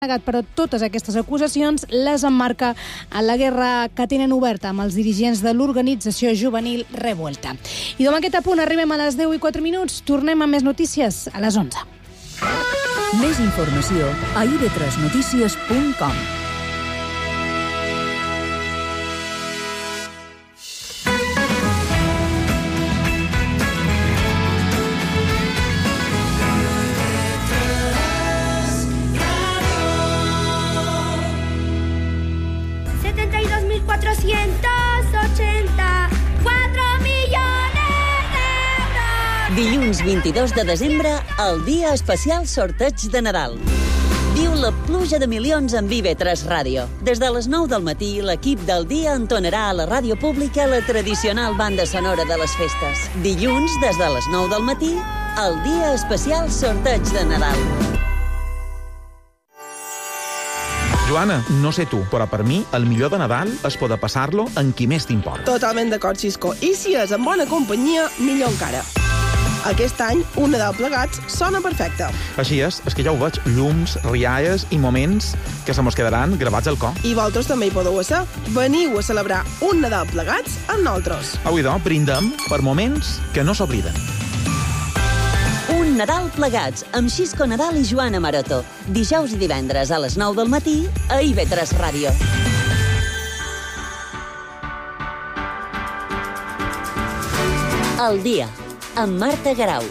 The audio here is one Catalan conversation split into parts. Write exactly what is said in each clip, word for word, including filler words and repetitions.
negat, però totes aquestes acusacions les emmarca en la guerra que tenen oberta amb els dirigents de l'organització juvenil Revuelta. I amb aquest apunt arribem a les deu i quatre minuts. Tornem amb més notícies a les onze. Més informació a i be tres notícies punt com. Dilluns vint-i-dos de desembre, el dia especial sorteig de Nadal. Viu la pluja de milions amb i be tres Ràdio. Des de les nou del matí, l'equip del dia entonarà a la ràdio pública la tradicional banda sonora de les festes. Dilluns, des de les nou del matí, el dia especial sorteig de Nadal. Joana, no sé tu, però per mi el millor de Nadal és poder passar-lo amb qui més t'importa. Totalment d'acord, Xisco. I si és en bona companyia, millor encara. Aquest any, un Nadal plegats sona perfecte. Així és, és que ja ho veig, llums, rialles i moments que se mos quedaran gravats al cor. I vosaltres també hi podeu ser. Veniu a celebrar un Nadal plegats amb nosaltres. Avui, doncs, brindem per moments que no s'obliden. Un Nadal plegats amb Xisco Nadal i Joana Maroto. Dijous i divendres a les nou del matí a i be tres Ràdio. El dia, amb Marta Garau.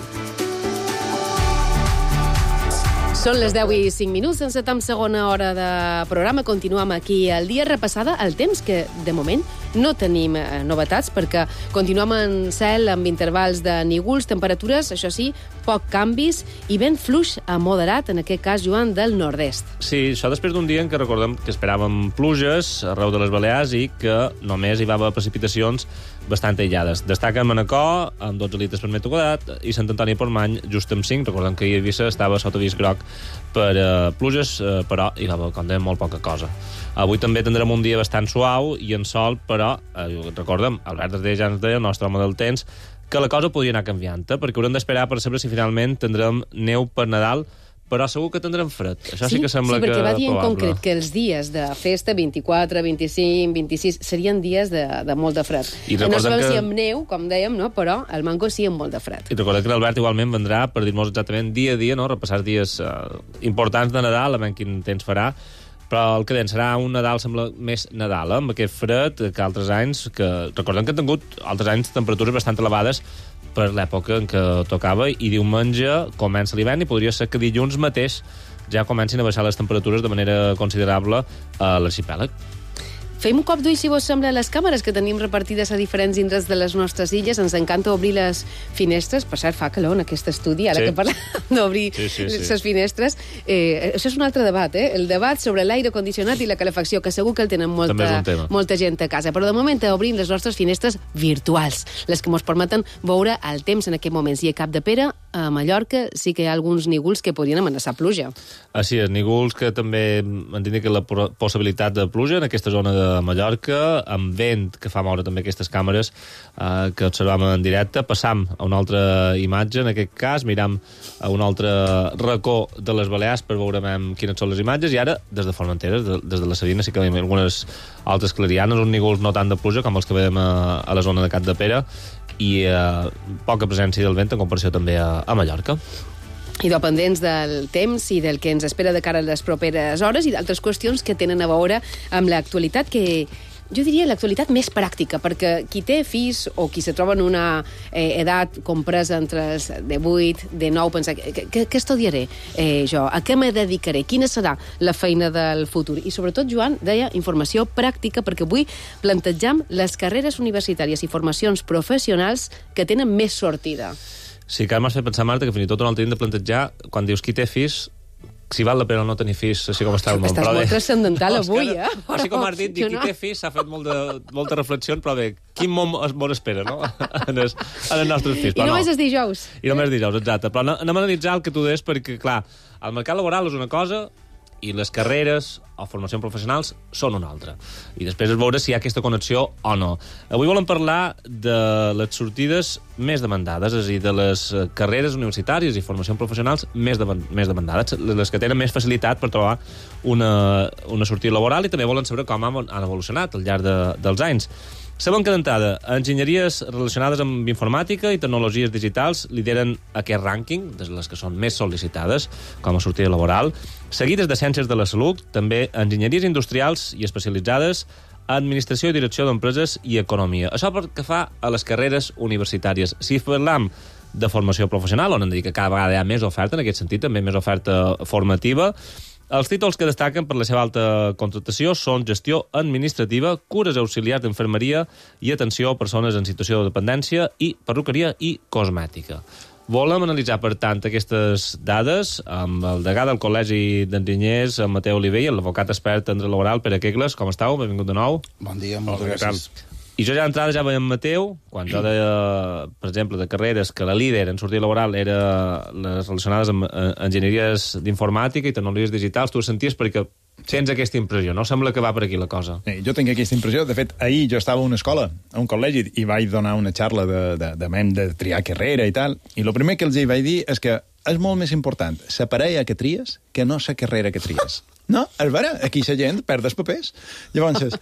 Són les deu i cinc minuts, encetam segona hora de programa. Continuem aquí al dia, repassada el temps, que de moment no tenim eh, novetats, perquè continuem en cel amb intervals de nígols, temperatures, això sí, poc canvis, i vent fluix a moderat, en aquest cas, Joan, del nord-est. Sí, això després d'un dia en què recordem que esperàvem pluges arreu de les Balears i que només hi va haver precipitacions bastant aïllades. Destaca Manacor, amb dotze litres per metre quadrat, i Sant Antoni Portmany, just amb cinc. Recordem que Eivissa estava sota avís groc per uh, pluges, uh, però hi va haver, com dèiem, molt poca cosa. Avui també tindrem un dia bastant suau i en sol, però, eh, recordem, Albert Ardell ja ens deia, el nostre home del temps, que la cosa podria anar canviant, eh? Perquè haurem d'esperar per saber si finalment tindrem neu per Nadal, però segur que tindrem fred. Això sí, sí que sembla sí, perquè que va dir en probable. concret que els dies de festa, vint-i-quatre, vint-i-cinc, vint-i-sis, serien dies de, de molt de fred. I no sabem que... si amb neu, com dèiem, no? Però el mango sí amb molt de fred. I recordem que l'Albert igualment vendrà per dir-nos exactament dia a dia, no? Repassar dies eh, importants de Nadal, a veure quin temps farà, però el que deien serà un Nadal, sembla, més Nadal, eh? Amb aquest fred que altres anys, que recordem que han tingut altres anys temperatures bastant elevades per l'època en què tocava, i diumenge comença l'hivern i podria ser que dilluns mateix ja comencin a baixar les temperatures de manera considerable a l'arxipèlag. Fem un cop d'ull, si vos sembla, a les càmeres que tenim repartides a diferents indrets de les nostres illes. Ens encanta obrir les finestres. Per cert, fa calor en aquest estudi, ara sí. que parlem d'obrir sí, sí, sí. les finestres. Eh, això és un altre debat, eh? El debat sobre l'aire condicionat i la calefacció, que segur que el tenen molta, molta gent a casa. Però de moment obrim les nostres finestres virtuals, les que ens permeten veure el temps en aquest moment. I a Capdepera, a Mallorca, sí que hi ha alguns nígols que podrien amenaçar pluja. Així és, nígols que també indiquen la possibilitat de pluja en aquesta zona de Mallorca, amb vent que fa moure també aquestes càmeres eh, que observam en directe. Passam a una altra imatge, en aquest cas, miram a un altre racó de les Balears per veure quines són les imatges, i ara, des de Formentera, des de la Sabina, sí que hi ha algunes altres clarianes, uns nígols no tant de pluja com els que veiem a, a la zona de Capdepera, i eh, poca presència del vent en comparació també a, a Mallorca. I dependents del temps i del que ens espera de cara a les properes hores i d'altres qüestions que tenen a veure amb l'actualitat, que jo diria l'actualitat més pràctica, perquè qui té fills o qui se troba en una eh, edat compresa entre els de vuit, de nou, pensa, què, què estudiaré eh, jo? A què me dedicaré? Quina serà la feina del futur? I sobretot, Joan, deia informació pràctica, perquè avui plantejam les carreres universitàries i formacions professionals que tenen més sortida. Sí, que m'has fet pensar, Marta, que fins i tot un altre hem de plantejar, quan dius qui té fills, si val la pena no tenir fills, així com està el món. Estàs molt de... transcendental no, avui, eh? Però... Així com has dit, qui no. té fills s'ha fet molt de, molta reflexió, però bé, quin món es món espera, no? En els, en els nostres fills. I però només no. és dijous. I només és dijous, exacte. Però anem a analitzar el que tu deies, perquè, clar, el mercat laboral és una cosa i les carreres o formacions professionals són una altra. I després es veure si hi ha aquesta connexió o no. Avui volem parlar de les sortides més demandades, és a dir, de les carreres universitàries i formacions professionals més, de, més demandades, les que tenen més facilitat per trobar una, una sortida laboral, i també volen saber com han evolucionat al llarg de, dels anys. Sabem que d'entrada, enginyeries relacionades amb informàtica i tecnologies digitals lideren aquest rànquing, de les que són més sol·licitades com a sortida laboral, seguides de ciències de la salut, també enginyeries industrials i especialitzades, administració i direcció d'empreses i economia. Això pel que fa a les carreres universitàries. Si parlam de formació professional, on hem de dir que cada vegada hi ha més oferta, en aquest sentit, també més oferta formativa, els títols que destaquen per la seva alta contractació són gestió administrativa, cures auxiliars d'infermeria i atenció a persones en situació de dependència i perruqueria i cosmètica. Volem analitzar, per tant, aquestes dades amb el degà del Col·legi d'Enginyers, en Mateu Oliver, i l'advocat expert en dret laboral, Pere Quegles. Com estàu? Benvingut de nou. Bon dia, moltes gràcies. I jo ja d'entrada ja veiem Mateu, quan jo deia, per exemple, de carreres que la líder en sortida laboral era les relacionades amb enginyeries d'informàtica i tecnologies digitals, tu ho senties perquè tens aquesta impressió, no? Sembla que va per aquí la cosa. Sí, jo tinc aquesta impressió. De fet, ahir jo estava a una escola, a un col·legi, i vaig donar una xarra de, de, de, de, de triar carrera i tal, i el primer que els hi vaig dir és que és molt més important la parella que tries que no la carrera que tries. No, és vera, aquí la gent perd els papers. Llavors,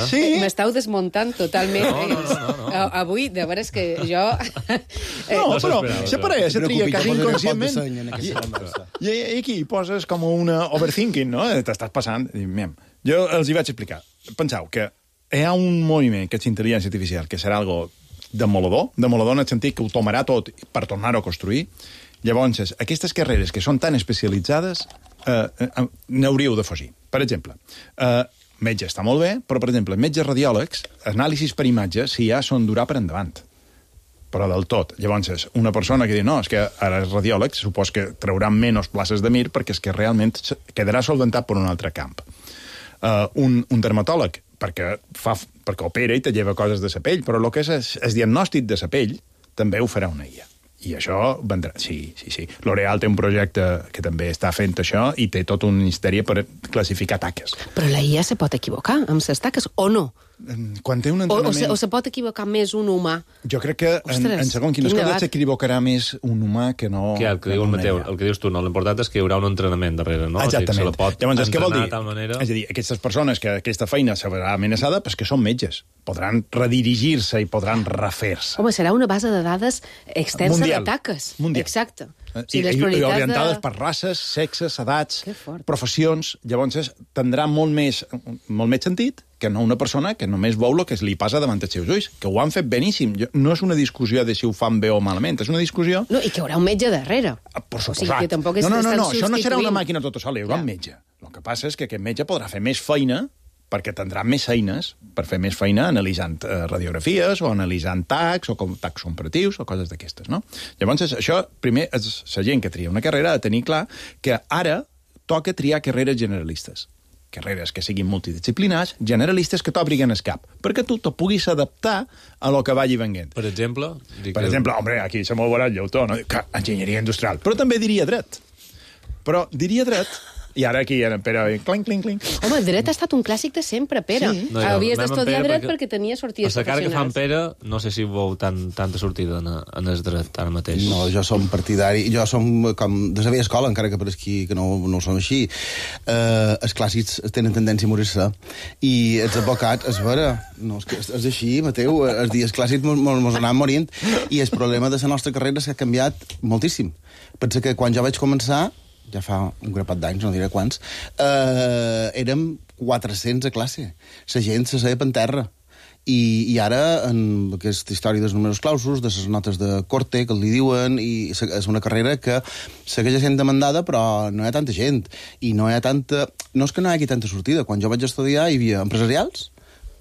sí. M'estàu desmuntant totalment. No, no, no, no. Avui, de veres que jo... No, però la parella se tria quasi inconscientment. I, I aquí poses com una overthinking, no? T'estàs passant. Jo els hi vaig explicar. Penseu que hi ha un moviment que és intel·ligència artificial, que serà algo demolador, demolador en el sentit que ho tomarà tot per tornar-ho a construir. Llavors, aquestes carreres que són tan especialitzades eh, eh, n'hauríeu de fugir. Per exemple, eh, metge està molt bé, però, per exemple, metges radiòlegs, anàlisis per imatge, si ja són durar per endavant. Però del tot. Llavors, una persona que diu, no, és que ara és radiòleg, supos que trauran menys places de mir perquè és que realment quedarà solventat per un altre camp. Uh, un, un dermatòleg, perquè, fa, perquè opera i te lleva coses de la pell, però el que és el, el diagnòstic de la pell també ho farà una I A. I això vendrà... Sí, sí, sí. L'Oreal té un projecte que també està fent això i té tot un ministeri per classificar taques. Però la I A se pot equivocar amb les taques o no? Quan té un entrenament... O, o, se, o se pot equivocar més un humà? Jo crec que en, en segon quines coses s'equivocarà més un humà que no... Que el que diu el Mateu, el que dius tu, no? L'important és que hi haurà un entrenament darrere, no? Exactament. O sigui, se la pot Llavors, què vol dir? De tal manera... És a dir, aquestes persones que aquesta feina se verà amenaçada, pues que són metges. Podran redirigir-se i podran refer-se. Home, serà una base de dades extensa Mundial. de taques. Mundial. Exacte. O sigui, I, i orientades de... per races, sexes, edats, professions. Llavors, tindrà molt més, molt més sentit que no una persona que només veu el que li passa davant dels seus ulls, que ho han fet beníssim. No és una discussió de si ho fan bé o malament, és una discussió... No, i que hi haurà un metge darrere. Per suposat. O sigui, que tampoc és no, no, no, no, substituint. això no serà una màquina tota sola, hi haurà un metge. El que passa és que aquest metge podrà fer més feina perquè tindrà més eines per fer més feina analitzant eh, radiografies o analitzant tags o com tags comparatius o coses d'aquestes, no? Llavors, això, primer, és la gent que tria una carrera ha de tenir clar que ara toca triar carreres generalistes. Carreres que siguin multidisciplinars, generalistes que t'obriguen el cap, perquè tu te puguis adaptar a lo que vagi venguent. Per exemple? Per que... exemple, home, aquí se m'ho veurà el lleutó, no? Que enginyeria industrial. Però també diria dret. Però diria dret... I ara aquí, en Pere, clinc, clinc, clinc. Home, el dret ha estat un clàssic de sempre, Pere. Sí. No, ja, havies d'estudiar dret perquè, perquè tenia sortides professionals. A la cara que fan Pere, no sé si veu tan, tanta sortida en, en el dret ara mateix. No, jo som partidari, jo som com de la vella escola, encara que per aquí que no, no som així. Eh, els clàssics tenen tendència a morir-se. I els advocats, és vera, no, és, que és així, Mateu, els dies clàssics mos anaven morint, i el problema de la nostra carrera s'ha canviat moltíssim. Pensa que quan jo vaig començar, ja fa un grapat d'anys, no diré quants, eh, érem quatre-cents a classe. La gent se seia per terra. I, i ara, en aquesta història dels números clausos, de les notes de corte, que li diuen, i és una carrera que segueix sent demandada, però no hi ha tanta gent. I no hi ha tanta... No és que no hi hagi tanta sortida. Quan jo vaig estudiar hi havia empresarials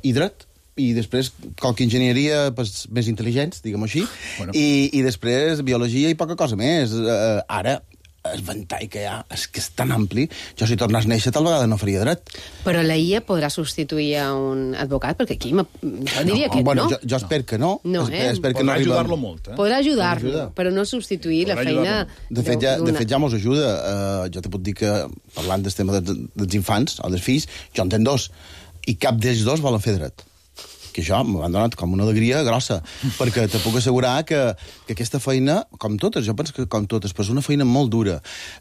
i dret, i després qualque enginyeria pues, més intel·ligents, diguem-ho així, bueno. I, i després biologia i poca cosa més. Uh, ara... el ventall que hi ha és que és tan ampli. Jo, si tornés a néixer, tal vegada no faria dret. Però la I A podrà substituir a un advocat? Perquè aquí jo diria no, que bueno, no. Jo, jo espero que no. No, eh? Espero que Podrà no arribem... ajudar-lo molt, eh? Podrà ajudar-lo, però no substituir Podrà la feina... De fet, ja, de fet, ja mos ajuda. Uh, jo te puc dir que, parlant del tema dels, dels infants o dels fills, jo en tenc dos, i cap d'ells dos volen fer dret. Que això m'han donat com una alegria grossa, perquè te puc assegurar que, que aquesta feina, com totes, jo penso que com totes, però és una feina molt dura.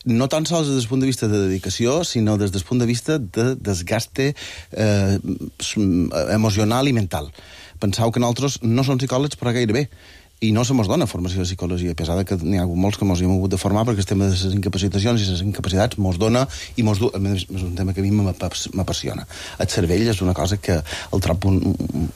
No tan sols des del punt de vista de dedicació, sinó des del punt de vista de desgaste eh, emocional i mental. Penseu que nosaltres no som psicòlegs, però gairebé. I no se mos dona formació de psicologia, a pesar que n'hi ha molts que mos hi hem hagut de formar, perquè el tema de les incapacitacions i les incapacitats mos dona i mos du... És un tema que a mi m'apassiona. El cervell és una cosa que el trobo un, un,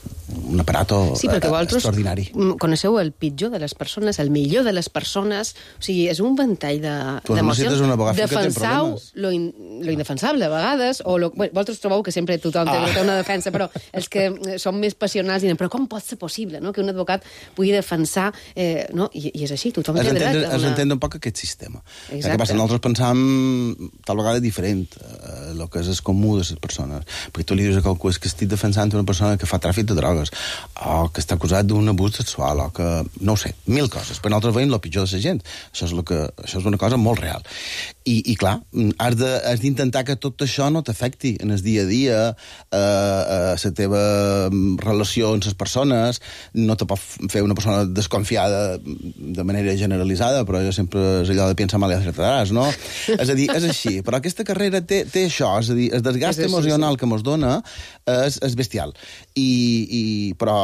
un aparato sí, perquè vosaltres extraordinari. Coneixeu el pitjor de les persones, el millor de les persones, o sigui, és un ventall d'emocions. De Defensau lo, in, lo indefensable, a vegades, o lo, bueno, vosaltres trobeu que sempre tothom ah. té una defensa, però els que són més passionals diuen, però com pot ser possible, no?, que un advocat pugui defensar Eh, no? I, i és així, tothom té dret a una... Es entén un poc aquest sistema. Exacte. El que passa, nosaltres pensam tal vegada diferent eh, el que és el comú de les persones. Perquè tu li dius a qualcú que estic defensant una persona que fa tràfic de drogues, o que està acusat d'un abús sexual, o que... no ho sé, mil coses. Però nosaltres veiem el pitjor de la gent. Això és, lo que, això és una cosa molt real. I, i clar, has d'intentar que tot això no t'afecti en el dia a dia, eh, a la teva relació amb les persones, no te pot fer una persona desconfiada de manera generalitzada, però jo sempre és allò de pensar mal i acertaràs, no? És a dir, és així. Però aquesta carrera té, té això, és a dir, el desgast és emocional sí, sí. que mos dona és, és bestial. I, i, però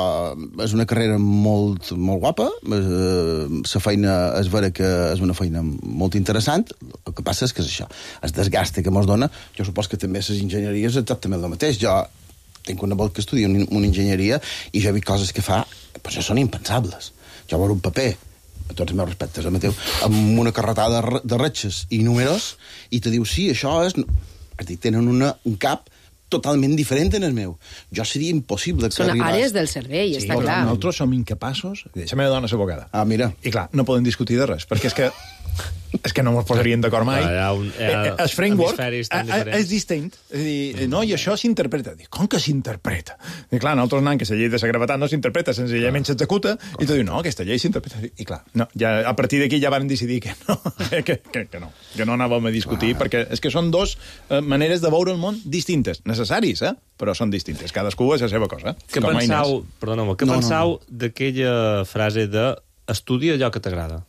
és una carrera molt, molt guapa, la feina és vera que és una feina molt interessant, el que passa és que és això, el desgast que mos dona, jo supos que també les enginyeries és exactament el mateix. Jo tinc una volta que estudia una enginyeria i jo he vist coses que fa, però això són impensables. Jo veure un paper, a tots els meus respectes, eh, Mateu, amb una carretada de retxes i números, i te diu, sí, això és... És dir, tenen una, un cap totalment diferent en el meu. Jo seria impossible que Són arribés... àrees del cervell, sí, està clar. Nosaltres som incapaços... La meva dona és abogada. Ah, mira. I clar, no poden discutir de res, perquè és que és que no ens posaríem d'acord mai. Hi ha un, hi ha el framework és, és distint. És a dir, no, i això s'interpreta. Dic, com que s'interpreta? I clar, nosaltres anant que la llei de la gravetat no s'interpreta, senzillament s'executa, i tu dius, no, aquesta llei s'interpreta. I clar, no, ja, a partir d'aquí ja van decidir que no, que, que, que no, que no anàvem a discutir, ah. perquè és que són dos eh, maneres de veure el món distintes, necessaris, eh? Però són distintes. Cadascú és la seva cosa. Què pensau, perdoneu, què no, pensau no, no. d'aquella frase de estudia allò que t'agrada?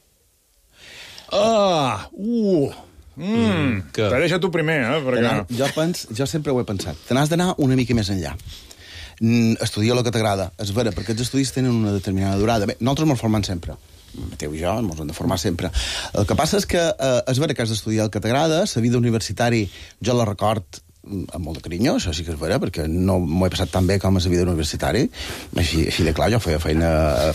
Ah, uh, mm, te deixa tu primer, eh? Perquè... Jo, pens, jo sempre ho he pensat. Te n'has d'anar una mica més enllà. Mm, estudia el que t'agrada. És vera, perquè els estudis tenen una determinada durada. Bé, nosaltres ens formem sempre. Mateu i jo ens hem de formar sempre. El que passa és que eh, és vera que has d'estudiar el que t'agrada. La vida universitari jo la record amb molt de carinyo, això sí que és vera, perquè no m'ho he passat tan bé com a la vida universitari. Així, així de clar, jo feia feina,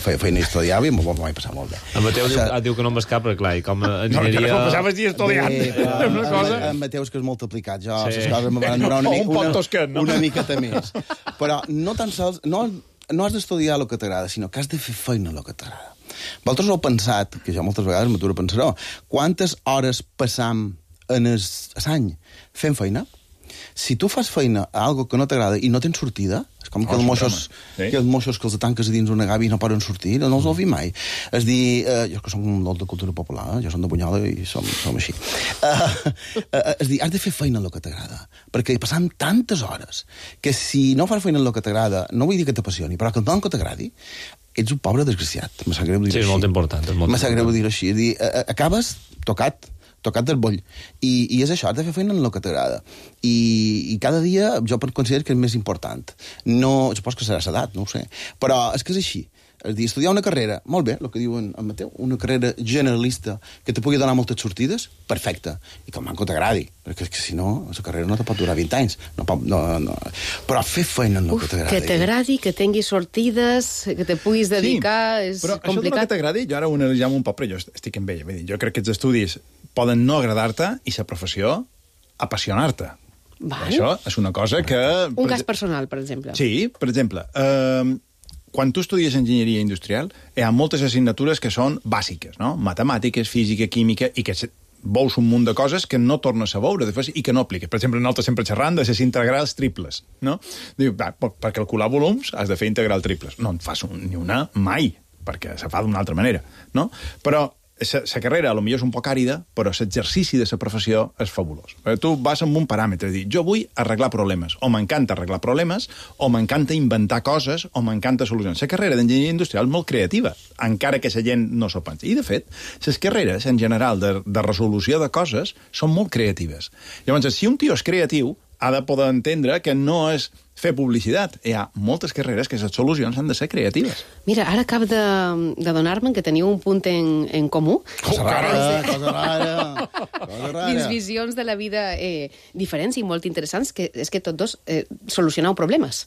feia feina i estudiava i m'ho he passat molt bé. En Mateu diu, ah, diu que no em vas cap, però clar, i com a enginyeria... No, que no passaves dia estudiant. Bé, però, una cosa... En Mateu és que és molt aplicat. Jo, sí. Les coses me van durar una, mica, una, tosquet, no? una miqueta més. Però no tan sols... No, no has d'estudiar el que t'agrada, sinó que has de fer feina el que t'agrada. Vosaltres ho heu pensat, que jo moltes vegades m'aturo a pensar-ho, quantes hores passam en l'any fent feina? Si tu fas feina a algo que no t'agrada i no tens sortida, és com que, oh, els moixos, sí. que els moixos que els tanques a dins una gavi no poden sortir, no els ho vi mai. És dir, eh, jo que som molt de cultura popular, eh? Jo som de Bunyola i som, som així. Uh, uh, és dir, has de fer feina en el que t'agrada, perquè passam tantes hores que si no fas feina en el que t'agrada, no vull dir que t'apassioni, però que no que t'agradi, ets un pobre desgraciat. Me sap greu dir-ho sí, així. És molt important. És molt Me sap greu dir-ho així. És dir, uh, acabes tocat, tocat del boll. I, i és això, has de fer feina en el que t'agrada. I, I cada dia jo considero que és més important. No, supos que serà l'edat, no ho sé. Però és que és així. És dir, estudiar una carrera, molt bé, el que diu en Mateu, una carrera generalista que te pugui donar moltes sortides, perfecte. I que el manco t'agradi, perquè és que si no, la carrera no te pot durar vint anys. No, no, no. Però fer feina en el Uf, que t'agradi. Que t'agradi, que tinguis sortides, que te puguis dedicar, sí, és però complicat. Però això que t'agradi, jo ara ho analitzem un poc, però jo estic amb ella. Jo crec que els estudis poden no agradar-te i la professió apassionar-te. Això és una cosa que... Un cas personal, per exemple. Sí, per exemple, eh, quan tu estudies enginyeria industrial, hi ha moltes assignatures que són bàsiques, no? Matemàtiques, física, química, i que veus un munt de coses que no tornes a veure després i que no apliques. Per exemple, nosaltres sempre xerrant de les integrals triples, no? Diu, va, per calcular volums has de fer integral triples. No en fas un, ni una mai, perquè se fa d'una altra manera, no? Però la carrera potser és un poc àrida, però l'exercici de la professió és fabulós. Tu vas amb un paràmetre, dir, jo vull arreglar problemes, o m'encanta arreglar problemes, o m'encanta inventar coses, o m'encanta solucions. La carrera d'enginyeria industrial és molt creativa, encara que la gent no s'ho pensi. I, de fet, les carreres, en general, de, de resolució de coses, són molt creatives. Llavors, si un tio és creatiu, ha de poder entendre que no és fer publicitat. Hi ha moltes carreres que les solucions han de ser creatives. Mira, ara acabo de, de donar-me que teniu un punt en, en comú. Cosa rara, cosa rara, cosa rara. Dins visions de la vida eh, diferents i molt interessants, que és que tots dos eh, solucioneu problemes.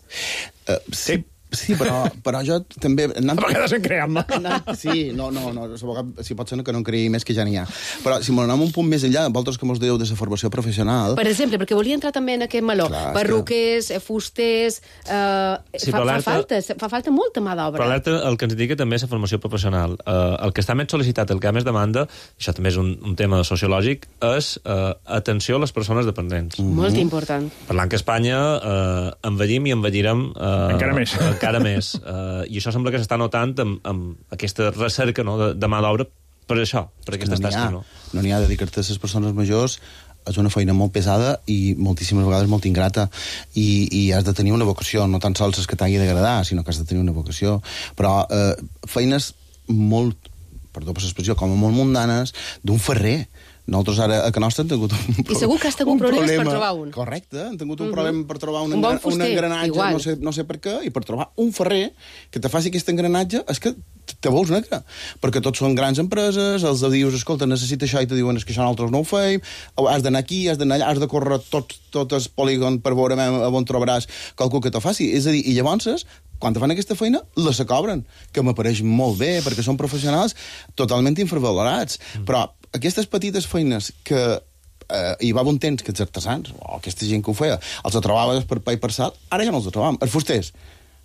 Uh, sí. Sí, però, però jo també... Anant... A vegades en creem, no? Anant... Sí, no, no, no, si pot ser que no en creï més que ja n'hi ha. Però si m'anem un punt més enllà, vosaltres que mos dèieu de la formació professional... Per exemple, perquè volia entrar també en aquest meló. Clar, perruquers, que... fusters... Eh, sí, fa, fa, falta, fa falta molta mà d'obra. Però alerta, el que ens indica també és la formació professional. Eh, el que està més sol·licitat, el que ha més demanda, això també és un, un tema sociològic, és eh, atenció a les persones dependents. Mm-hmm. Molt important. Parlant que a Espanya eh, envellim i envellirem... Eh, encara més. encara més. Uh, I això sembla que s'està notant amb, amb aquesta recerca, no, de, de mà d'obra per això, per aquestes no tasques. No no n'hi ha, dedicar-te a les persones majors és una feina molt pesada i moltíssimes vegades molt ingrata i, i has de tenir una vocació, no tan sols és que t'hagi d'agradar, sinó que has de tenir una vocació. Però eh, feines molt, perdó per l'expressió, com a molt mundanes, d'un ferrer. Nosaltres ara a Can Nostra hem tingut un problema. I segur que has tingut problemes problema. per trobar un. Correcte, hem tingut un uh -huh. problema per trobar un, un, bon fuster, un engranatge, igual. no sé, no sé per què, i per trobar un ferrer que te faci aquest engranatge, és que te veus negre, perquè tots són grans empreses, els dius, escolta, necessita això, i te diuen, és que això nosaltres no ho feim, has d'anar aquí, has d'anar allà, has de córrer tot, tot el polígon per veure on trobaràs qualcú que te faci. És a dir, i llavors, quan te fan aquesta feina, la se cobren, que m'apareix molt bé, perquè són professionals totalment infravalorats. Mm. Però aquestes petites feines que eh, hi va un temps que els artesans, o aquesta gent que ho feia, els trobaves per pa i per sal, ara ja no els trobam. Els fusters,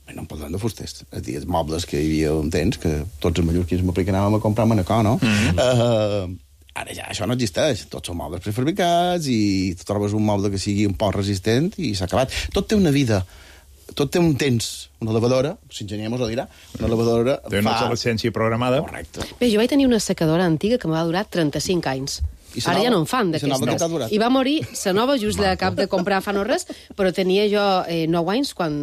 bé, no en parlem de fusters, és dir, els mobles que hi havia un temps, que tots els mallorquins m'apliquen que anàvem a comprar a Manacor, no? Mm-hmm. uh, ara ja això no existeix. Tots són mobles prefabricats i tu trobes un moble que sigui un poc resistent i s'ha acabat. Tot té una vida. Tot té un temps. Una lavadora, l'enginyer mos ho dirà, una lavadora té una obsolescència programada. Correcte. Bé, jo vaig tenir una secadora antiga que em va durar trenta-cinc anys. Ara nova? Ja no en fan d'aquestes. I va morir la nova just de cap de comprar fa no res, però tenia jo eh, nou anys quan...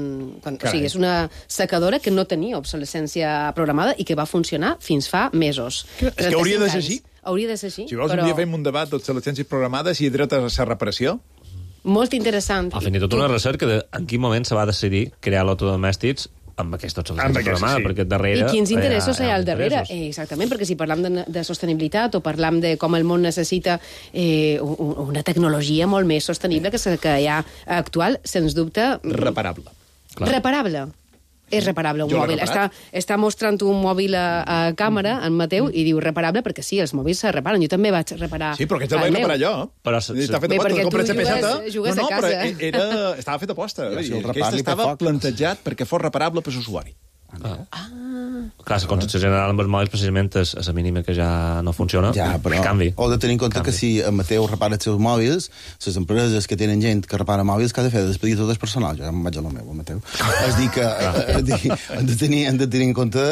quan o sigui, és una secadora que no tenia obsolescència programada i que va funcionar fins fa mesos. És que hauria de ser així. Hauria de ser així. Si vols, però... un dia fem un debat d'obsolescències programades i dret a la reparació. Molt interessant. Ha fet tot una recerca de en quin moment se va decidir crear l'autodomèstics amb aquesta obsolescència programada, sí. perquè darrere... I quins interessos hi ha al darrere? Eh, exactament, perquè si parlam de, de sostenibilitat o parlam de com el món necessita eh, una tecnologia molt més sostenible que la que hi ha actual, sens dubte... Reparable. Clar. Reparable. És reparable un jo mòbil. Està, està mostrant un mòbil a, a càmera, en Mateu, i diu reparable perquè sí, els mòbils se reparen. Jo també vaig reparar sí, però aquest el vaig reparar jo. Però està fet aposta. Bé, perquè tu jugues, jugues no, no, a casa. Però era, estava fet aposta. Ja, si aquest estava plantejat perquè fos reparable per l'usuari. Ah. ah. Clar, la concepció general amb els mòbils precisament és, és la mínima que ja no funciona. Ja, però canvi. Heu de tenir en compte canvi. Que si en Mateu repara els seus mòbils, les empreses que tenen gent que repara mòbils, que ha de fer de despedir tot el personal. Jo ja em vaig a lo meu, Mateu. És dir, que eh, dir, han, de tenir, han de tenir en compte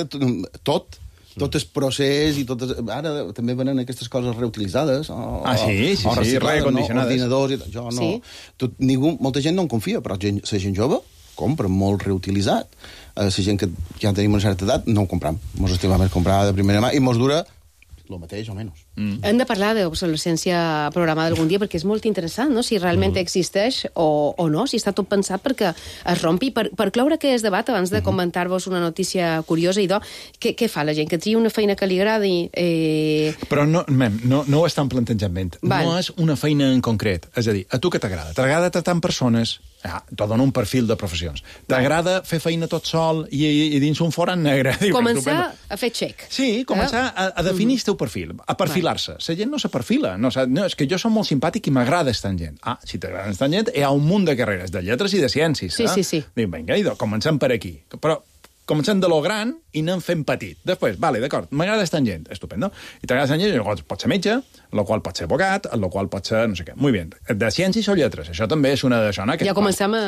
tot, tot el procés i totes... Ara també venen aquestes coses reutilitzades. O, ah, sí, sí, o sí, reacondicionades. No? Ordinadors i tal. Jo no... Sí. Tot, ningú, molta gent no en confia, però gent, la gent jove compra molt reutilitzat. La gent que ja tenim una certa edat no ho compram. Mos estimam més comprar de primera mà i mos dura el mateix o menys. Mm. Hem de parlar d'obsolescència programada algun dia perquè és molt interessant, no? Si realment mm. existeix o, o no, si està tot pensat perquè es rompi. Per, per cloure aquest debat, abans de mm -hmm. comentar-vos una notícia curiosa, idò, què, què fa la gent? Que tria una feina que li agradi? Eh... Però no, mem, no, no ho estan plantejant bé. No és una feina en concret. És a dir, a tu què t'agrada? T'agrada tratar amb persones? Ah, t'ho dono un perfil de professions. T'agrada fer feina tot sol i, i, i dins un forat negre? Començar a fer check. Sí, començar a, a definir el teu perfil, a perfilar-se. La gent no se perfila. No, no, és que jo som molt simpàtic i m'agrada estar en gent. Ah, si t'agrada estar en gent, hi ha un munt de carreres, de lletres i de ciències. Sí, eh? sí, sí. Dic, vinga, idò, comencem per aquí. Però comencem de lo gran i anem fent petit. Després, vale, d'acord, m'agrada tangent, estupendo. I t'agrada tangent, llavors pot ser metge, el qual pot ser abogat, el qual pot ser no sé què. Muy bien. De ciències o lletres, això també és una d'això, no? Ja comencem a...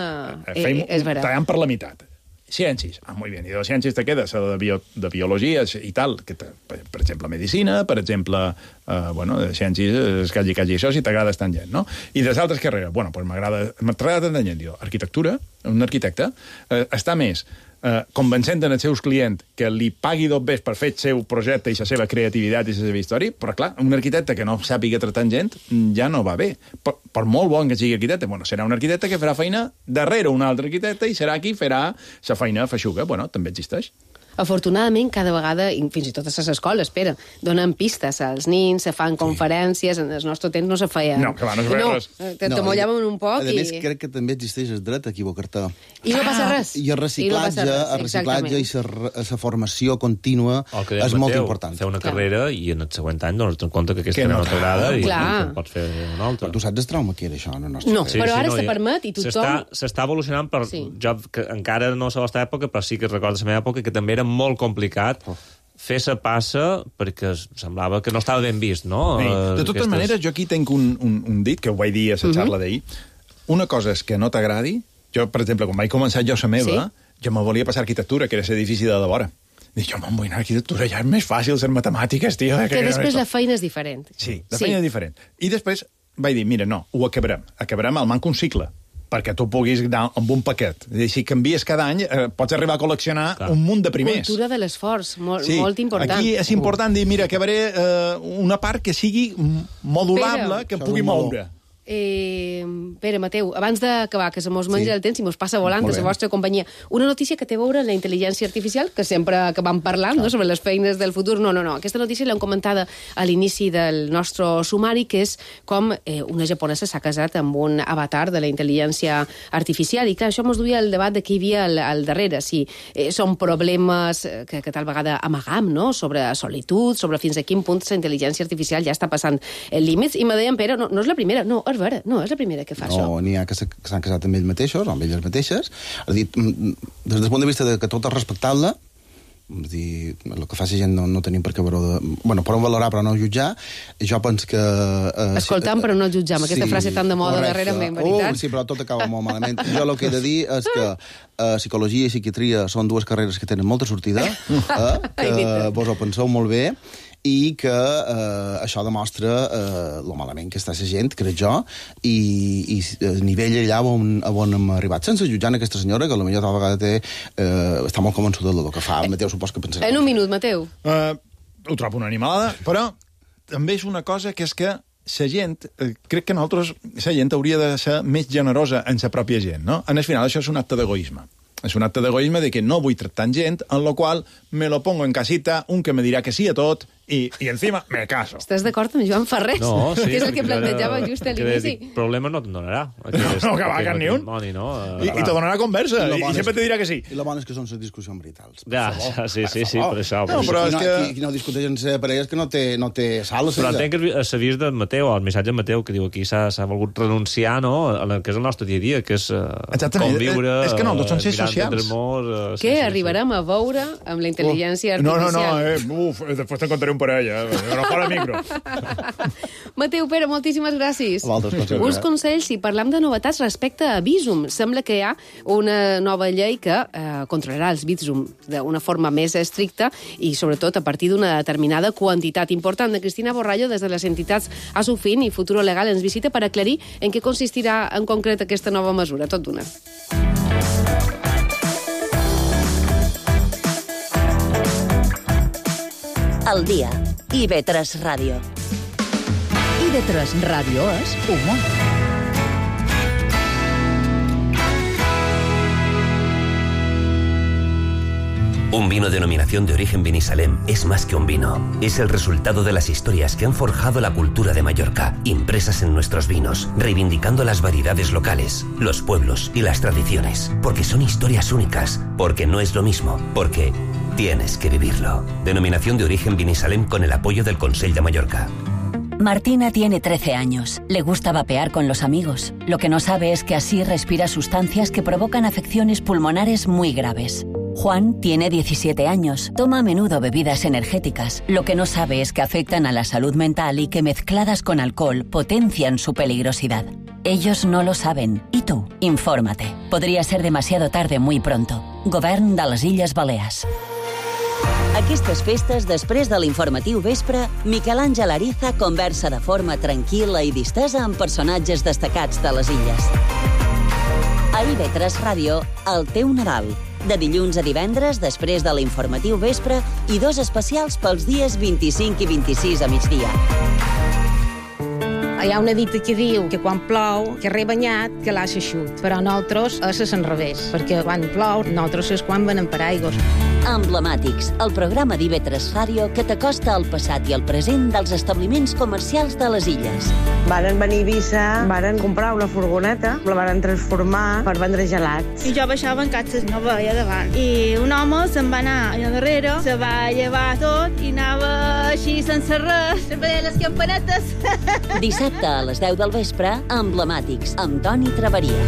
Fem, és vera. Tallant per la meitat. Ciències, ah, muy bien. I de ciències te queda la de, bio, de biologia i tal, que te, per, per exemple, medicina, per exemple, eh, bueno, de ciències, és que hagi, que hagi això, si t'agrada tangent, no? I de les altres carreres, bueno, pues m'agrada tangent, diu, arquitectura, un arquitecte, eh, està més eh, convencent en els seus clients que li pagui dos vegades per fer el seu projecte i la seva creativitat i la seva història, però clar, un arquitecte que no sàpiga tratar gent ja no va bé. Per, per molt bon que sigui arquitecte, bueno, serà un arquitecte que farà feina darrere un altre arquitecte i serà qui farà la feina feixuga. Bueno, també existeix. Afortunadament, cada vegada, i fins i tot a les escoles, espera, donen pistes als nins, se fan conferències, en el nostre temps no se feia... No, que va, no se feia no, res. Te no, mollaven un poc a i... A més, crec que també existeix el dret a equivocar-te. I no passa res. I el reciclatge, I no el reciclatge i la formació contínua és molt important. Fer una carrera i en el següent any donar-te en compte que aquesta no t'agrada i pots fer una altra. Tu saps el trauma que era això? No, no però ara se permet i tothom... S'està evolucionant, per jo que encara no sé la vostra època, però sí que recordo la meva època, que també era molt complicat fer sa passa perquè semblava que no estava ben vist, no? Sí. De totes Aquestes... maneres, jo aquí tenc un, un, un dit, que ho vaig dir a la xarra uh -huh. d'ahir. Una cosa és que no t'agradi. Jo, per exemple, quan vaig començar jo la meva, sí. jo me volia passar arquitectura, que era l'edifici de la vora. Dic, jo me'n vull anar a arquitectura, ja és més fàcil ser matemàtiques, tio. Que, que després la feina és diferent. Sí, la feina sí. és diferent. I després vaig dir, mira, no, ho acabarem. Acabarem al manco un cicle, perquè tu puguis anar amb un paquet. I si canvies cada any, eh, pots arribar a col·leccionar Clar. un munt de primers. Cultura de l'esforç, molt, sí. molt important. Aquí és important dir, mira, acabaré eh, una part que sigui modulable, Pere, que pugui moure. Eh, Pere, Mateu, abans d'acabar, que se mos menja sí. el temps i mos passa volant a la vostra companyia, una notícia que té a veure amb la intel·ligència artificial, que sempre que vam parlant no, sobre les feines del futur, no, no, no. Aquesta notícia l'hem comentada a l'inici del nostre sumari, que és com eh, una japonesa s'ha casat amb un avatar de la intel·ligència artificial, i clar, això mos duia el debat de què hi havia al, al darrere, si eh, són problemes que, que tal vegada amagam, no?, sobre solitud, sobre fins a quin punt la intel·ligència artificial ja està passant els límits, i me deien, Pere, no, no és la primera, no, és vera, no, és la primera que fa no, això. No, n'hi ha que s'han casat amb ells mateixos, amb elles mateixes. És dir, des del punt de vista de que tot és respectable, és dir, el que fa la gent no, no tenim per què veure... Bueno, podem valorar però no jutjar. Jo penso que... Eh, Escoltam però no jutjar, amb aquesta sí, frase tan de moda darrerament, veritat? Uh, sí, però tot acaba molt malament. Jo el que he de dir és que eh, psicologia i psiquiatria són dues carreres que tenen molta sortida, eh, que vos ho penseu molt bé, i que eh, això demostra eh, lo malament que està la gent, crec jo, i, i el nivell allà on, on hem arribat, sense jutjar aquesta senyora, que potser tal vegada té, eh, està molt convençuda del que fa. Mateu, supos que pensarà. En un minut, Mateu. Uh, ho trobo una animalada, però també és una cosa que és que la gent, eh, crec que nosaltres, la gent hauria de ser més generosa en la pròpia gent, no? En el final, això és un acte d'egoisme. És un acte d'egoisme de que no vull tractar gent, en lo qual me lo pongo en casita, un que me dirà que sí a tot, i, i encima me caso. Estàs d'acord amb Joan Ferrés? No, sí. Que és el que plantejava just a l'inici. Problema no te'n donarà. No, no, que va, que ni un. No, I, i te donarà conversa, i, i sempre te dirà que sí. I la bona és que són les discussions veritals. Ja, sí, sí, sí, per això. No, però és que... Qui no discuteix en ser parelles que no té, no té sal. Però entenc que s'avís de Mateu, el missatge de Mateu, que diu aquí s'ha volgut renunciar, no?, a que és el nostre dia a dia, que és conviure... És que no, tots són ser socials. Què arribarem a veure amb la intel·ligència artificial? No, no, no, eh, uf, després te'n contaré un parell, eh? No fora micro. Mateu, Pere, moltíssimes gràcies. Uns consells, si parlam de novetats respecte a Bizum. Sembla que hi ha una nova llei que eh, controlarà els Bizum d'una forma més estricta i, sobretot, a partir d'una determinada quantitat important. De Cristina Borrallo, des de les entitats Asufin i Futuro Legal, ens visita per aclarir en què consistirà en concret aquesta nova mesura. Tot d'una. El dia. I ve tres Ràdio. I ve tres Ràdio és humor. Un vino denominación de origen Vinisalem es más que un vino. Es el resultado de las historias que han forjado la cultura de Mallorca, impresas en nuestros vinos, reivindicando las variedades locales, los pueblos y las tradiciones. Porque son historias únicas, porque no es lo mismo, porque tienes que vivirlo. Denominación de origen Vinisalem con el apoyo del Consell de Mallorca. Martina tiene trece años. Le gusta vapear con los amigos. Lo que no sabe es que así respira sustancias que provocan afecciones pulmonares muy graves. Juan tiene diecisiete años, toma a menudo bebidas energéticas. Lo que no sabe es que afectan a la salud mental y que mezcladas con alcohol potencian su peligrosidad. Ellos no lo saben. ¿Y tú? Infórmate. Podría ser demasiado tarde muy pronto. Govern de les Illes Balears. Aquestes festes, després de l'informatiu vespre, Miquel Àngel Ariza conversa de forma tranquil·la i distesa amb personatges destacats de les illes. A I V tres Ràdio, el teu Nadal. De dilluns a divendres, després de l'informatiu vespre, i dos especials pels dies vint-i-cinc i vint-i-sis a migdia. Hi ha una dita que diu que quan plou, que rebanyat, que l'aixa xut. Però nosaltres és a l'enrevés, perquè quan plou, nosaltres és quan venen per aigües. Emblemàtics, el programa d'I V tres Ràdio que t'acosta al passat i al present dels establiments comercials de les illes. Varen venir a Eivissa, varen comprar una furgoneta, la varen transformar per vendre gelats. I jo baixava en catxes, no veia davant. I un home se'n va anar allà darrere, se va llevar tot i anava així sense res, sempre deia les campanetes. Dissabte a les deu del vespre, Emblemàtics, amb Toni Traveria.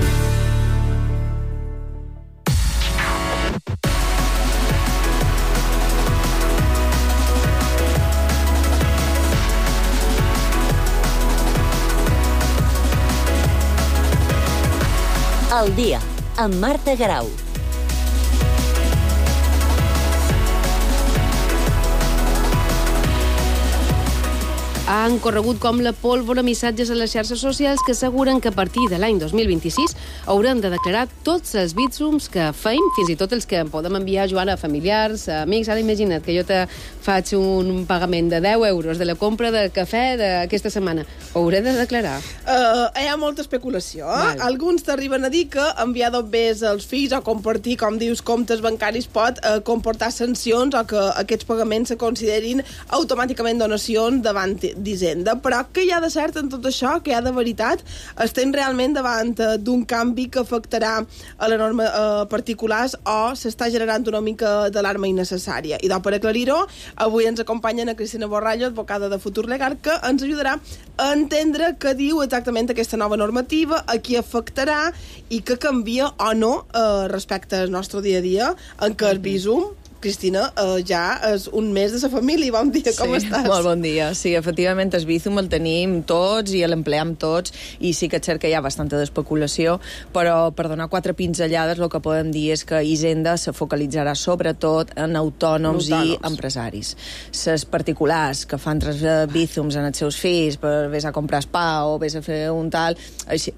El dia, amb Marta Garau. Han corregut com la pólvora missatges a les xarxes socials que asseguren que a partir de l'any dos mil vint-i-sis hauran de declarar tots els bitsums que feim, fins i tot els que em podem enviar, Joana, a familiars, a amics. Ara imagina't que jo te faig un pagament de deu euros de la compra de cafè d'aquesta setmana. Ho hauré de declarar? Uh, hi ha molta especulació. Eh? Alguns t'arriben a dir que enviar dos bés als fills o compartir, com dius, comptes bancaris pot uh, comportar sancions o que aquests pagaments se considerin automàticament donacions davant d'Hisenda. Però què hi ha de cert en tot això? Què hi ha de veritat? Estem realment davant d'un canvi que afectarà a la norma eh, particulars o s'està generant una mica d'alarma innecessària? I doncs, per aclarir-ho, avui ens acompanyen a Cristina Borrallo, advocada de Futur Legal, que ens ajudarà a entendre què diu exactament aquesta nova normativa, a qui afectarà i què canvia o no eh, respecte al nostre dia a dia, en què el visum, Cristina, eh, ja és un mes de sa família. Bon dia, com sí, estàs? Molt bon dia. Sí, efectivament, el Bizum el tenim tots i l'empleam tots, i sí que és cert que hi ha bastanta d'especulació, però per donar quatre pinzellades el que podem dir és que Hisenda se focalitzarà sobretot en autònoms, autònoms. i empresaris. Les particulars que fan tres Bizums en els seus fills per vés a comprar spa o vés a fer un tal,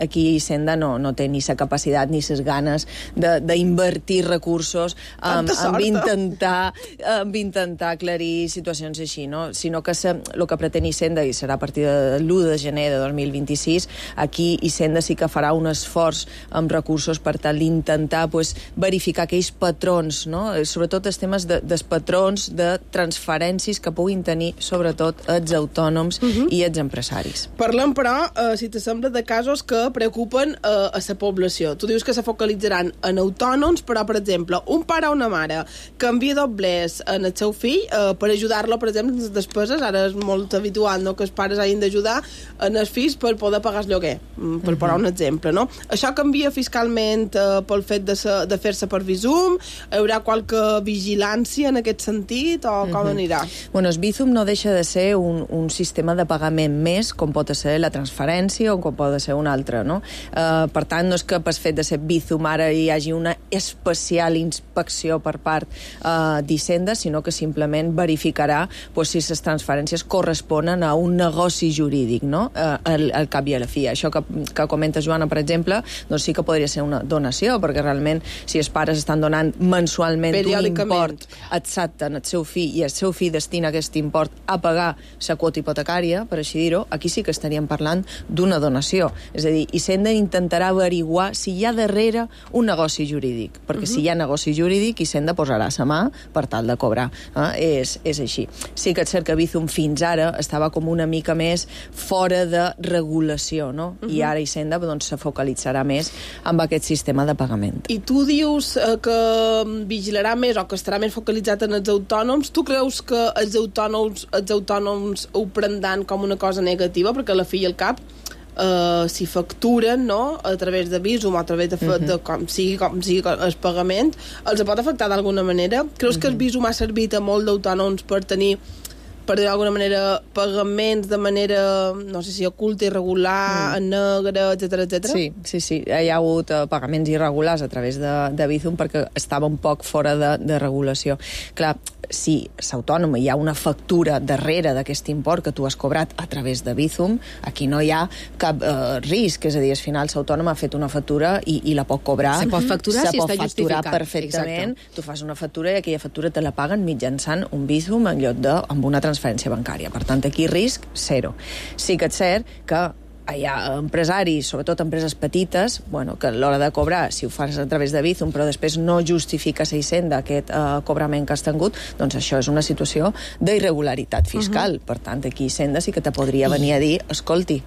aquí Hisenda no, no té ni la capacitat ni les ganes d'invertir recursos amb, amb intentar amb intentar aclarir situacions així, no? Sinó que se, el que pretén Hisenda, i serà a partir de l'u de gener de dos mil vint-i-sis, aquí Hisenda sí que farà un esforç amb recursos per tal d'intentar pues, verificar aquells patrons, no? Sobretot els temes de, dels patrons de transferències que puguin tenir sobretot els autònoms uh-huh. i els empresaris. Parlem, però, eh, si t'assembla, de casos que preocupen eh, a la població. Tu dius que se focalitzaran en autònoms, però, per exemple, un pare o una mare que envia doblers en el seu fill eh, per ajudar-lo, per exemple, en les despeses. Ara és molt habitual, no?, que els pares hagin d'ajudar en els fills per poder pagar el lloguer, per posar un exemple, no? Això canvia fiscalment eh, pel fet de, ser, de fer-se per Bizum? Hi haurà qualque vigilància en aquest sentit o com uh-huh. anirà? Bueno, el Bizum no deixa de ser un, un sistema de pagament més, com pot ser la transferència o com pot ser un altre, no? Eh, per tant, no és que per fet de ser Bizum ara hi hagi una especial inspecció per part Uh, d'Hisenda, sinó que simplement verificarà pues, si les transferències corresponen a un negoci jurídic, no? Uh, al, al cap i a la fi. Això que, que comenta Joana, per exemple, doncs sí que podria ser una donació, perquè realment si els pares estan donant mensualment un import exacte en el seu fill i el seu fill destina aquest import a pagar la quota hipotecària, per així dir-ho, aquí sí que estaríem parlant d'una donació. És a dir, Hisenda intentarà averiguar si hi ha darrere un negoci jurídic, perquè uh-huh. si hi ha negoci jurídic, Hisenda posarà sa mà per tal de cobrar. Eh? És, és així. Sí que és cert que Bizum fins ara estava com una mica més fora de regulació, no? Uh-huh. I ara Hisenda doncs, se focalitzarà més amb aquest sistema de pagament. I tu dius eh, que vigilarà més o que estarà més focalitzat en els autònoms. Tu creus que els autònoms, els autònoms ho prendran com una cosa negativa? Perquè a la fi i al cap uh, si facturen, no?, a través de Bizum o a través de, uh-huh. de com sigui com sigui el pagament, els pot afectar d'alguna manera? Creus uh-huh. que el Bizum ha servit a molt d'autònoms per tenir, per dir d'alguna manera, pagaments de manera, no sé si oculta, irregular, mm. en negre, etcètera, etcètera? Sí, sí, sí. Hi ha hagut uh, pagaments irregulars a través de, de Bizum perquè estava un poc fora de, de regulació. Clar, si s'autònom hi ha una factura darrere d'aquest import que tu has cobrat a través de Bizum, aquí no hi ha cap uh, risc, és a dir, al final l'autònom ha fet una factura i, i la pot cobrar. Se pot facturar se si pot està facturar justificat. perfectament. Exacte. Tu fas una factura i aquella factura te la paguen mitjançant un Bizum en lloc de amb una transferència bancària. Per tant, aquí risc zero. Sí que és cert que hi ha empresaris, sobretot empreses petites, bueno, que a l'hora de cobrar, si ho fas a través de Bizum, però després no justifiques a Hisenda aquest uh, cobrament que has tingut, doncs això és una situació d'irregularitat fiscal. Uh-huh. Per tant, aquí Hisenda sí que te podria venir a dir, escolti,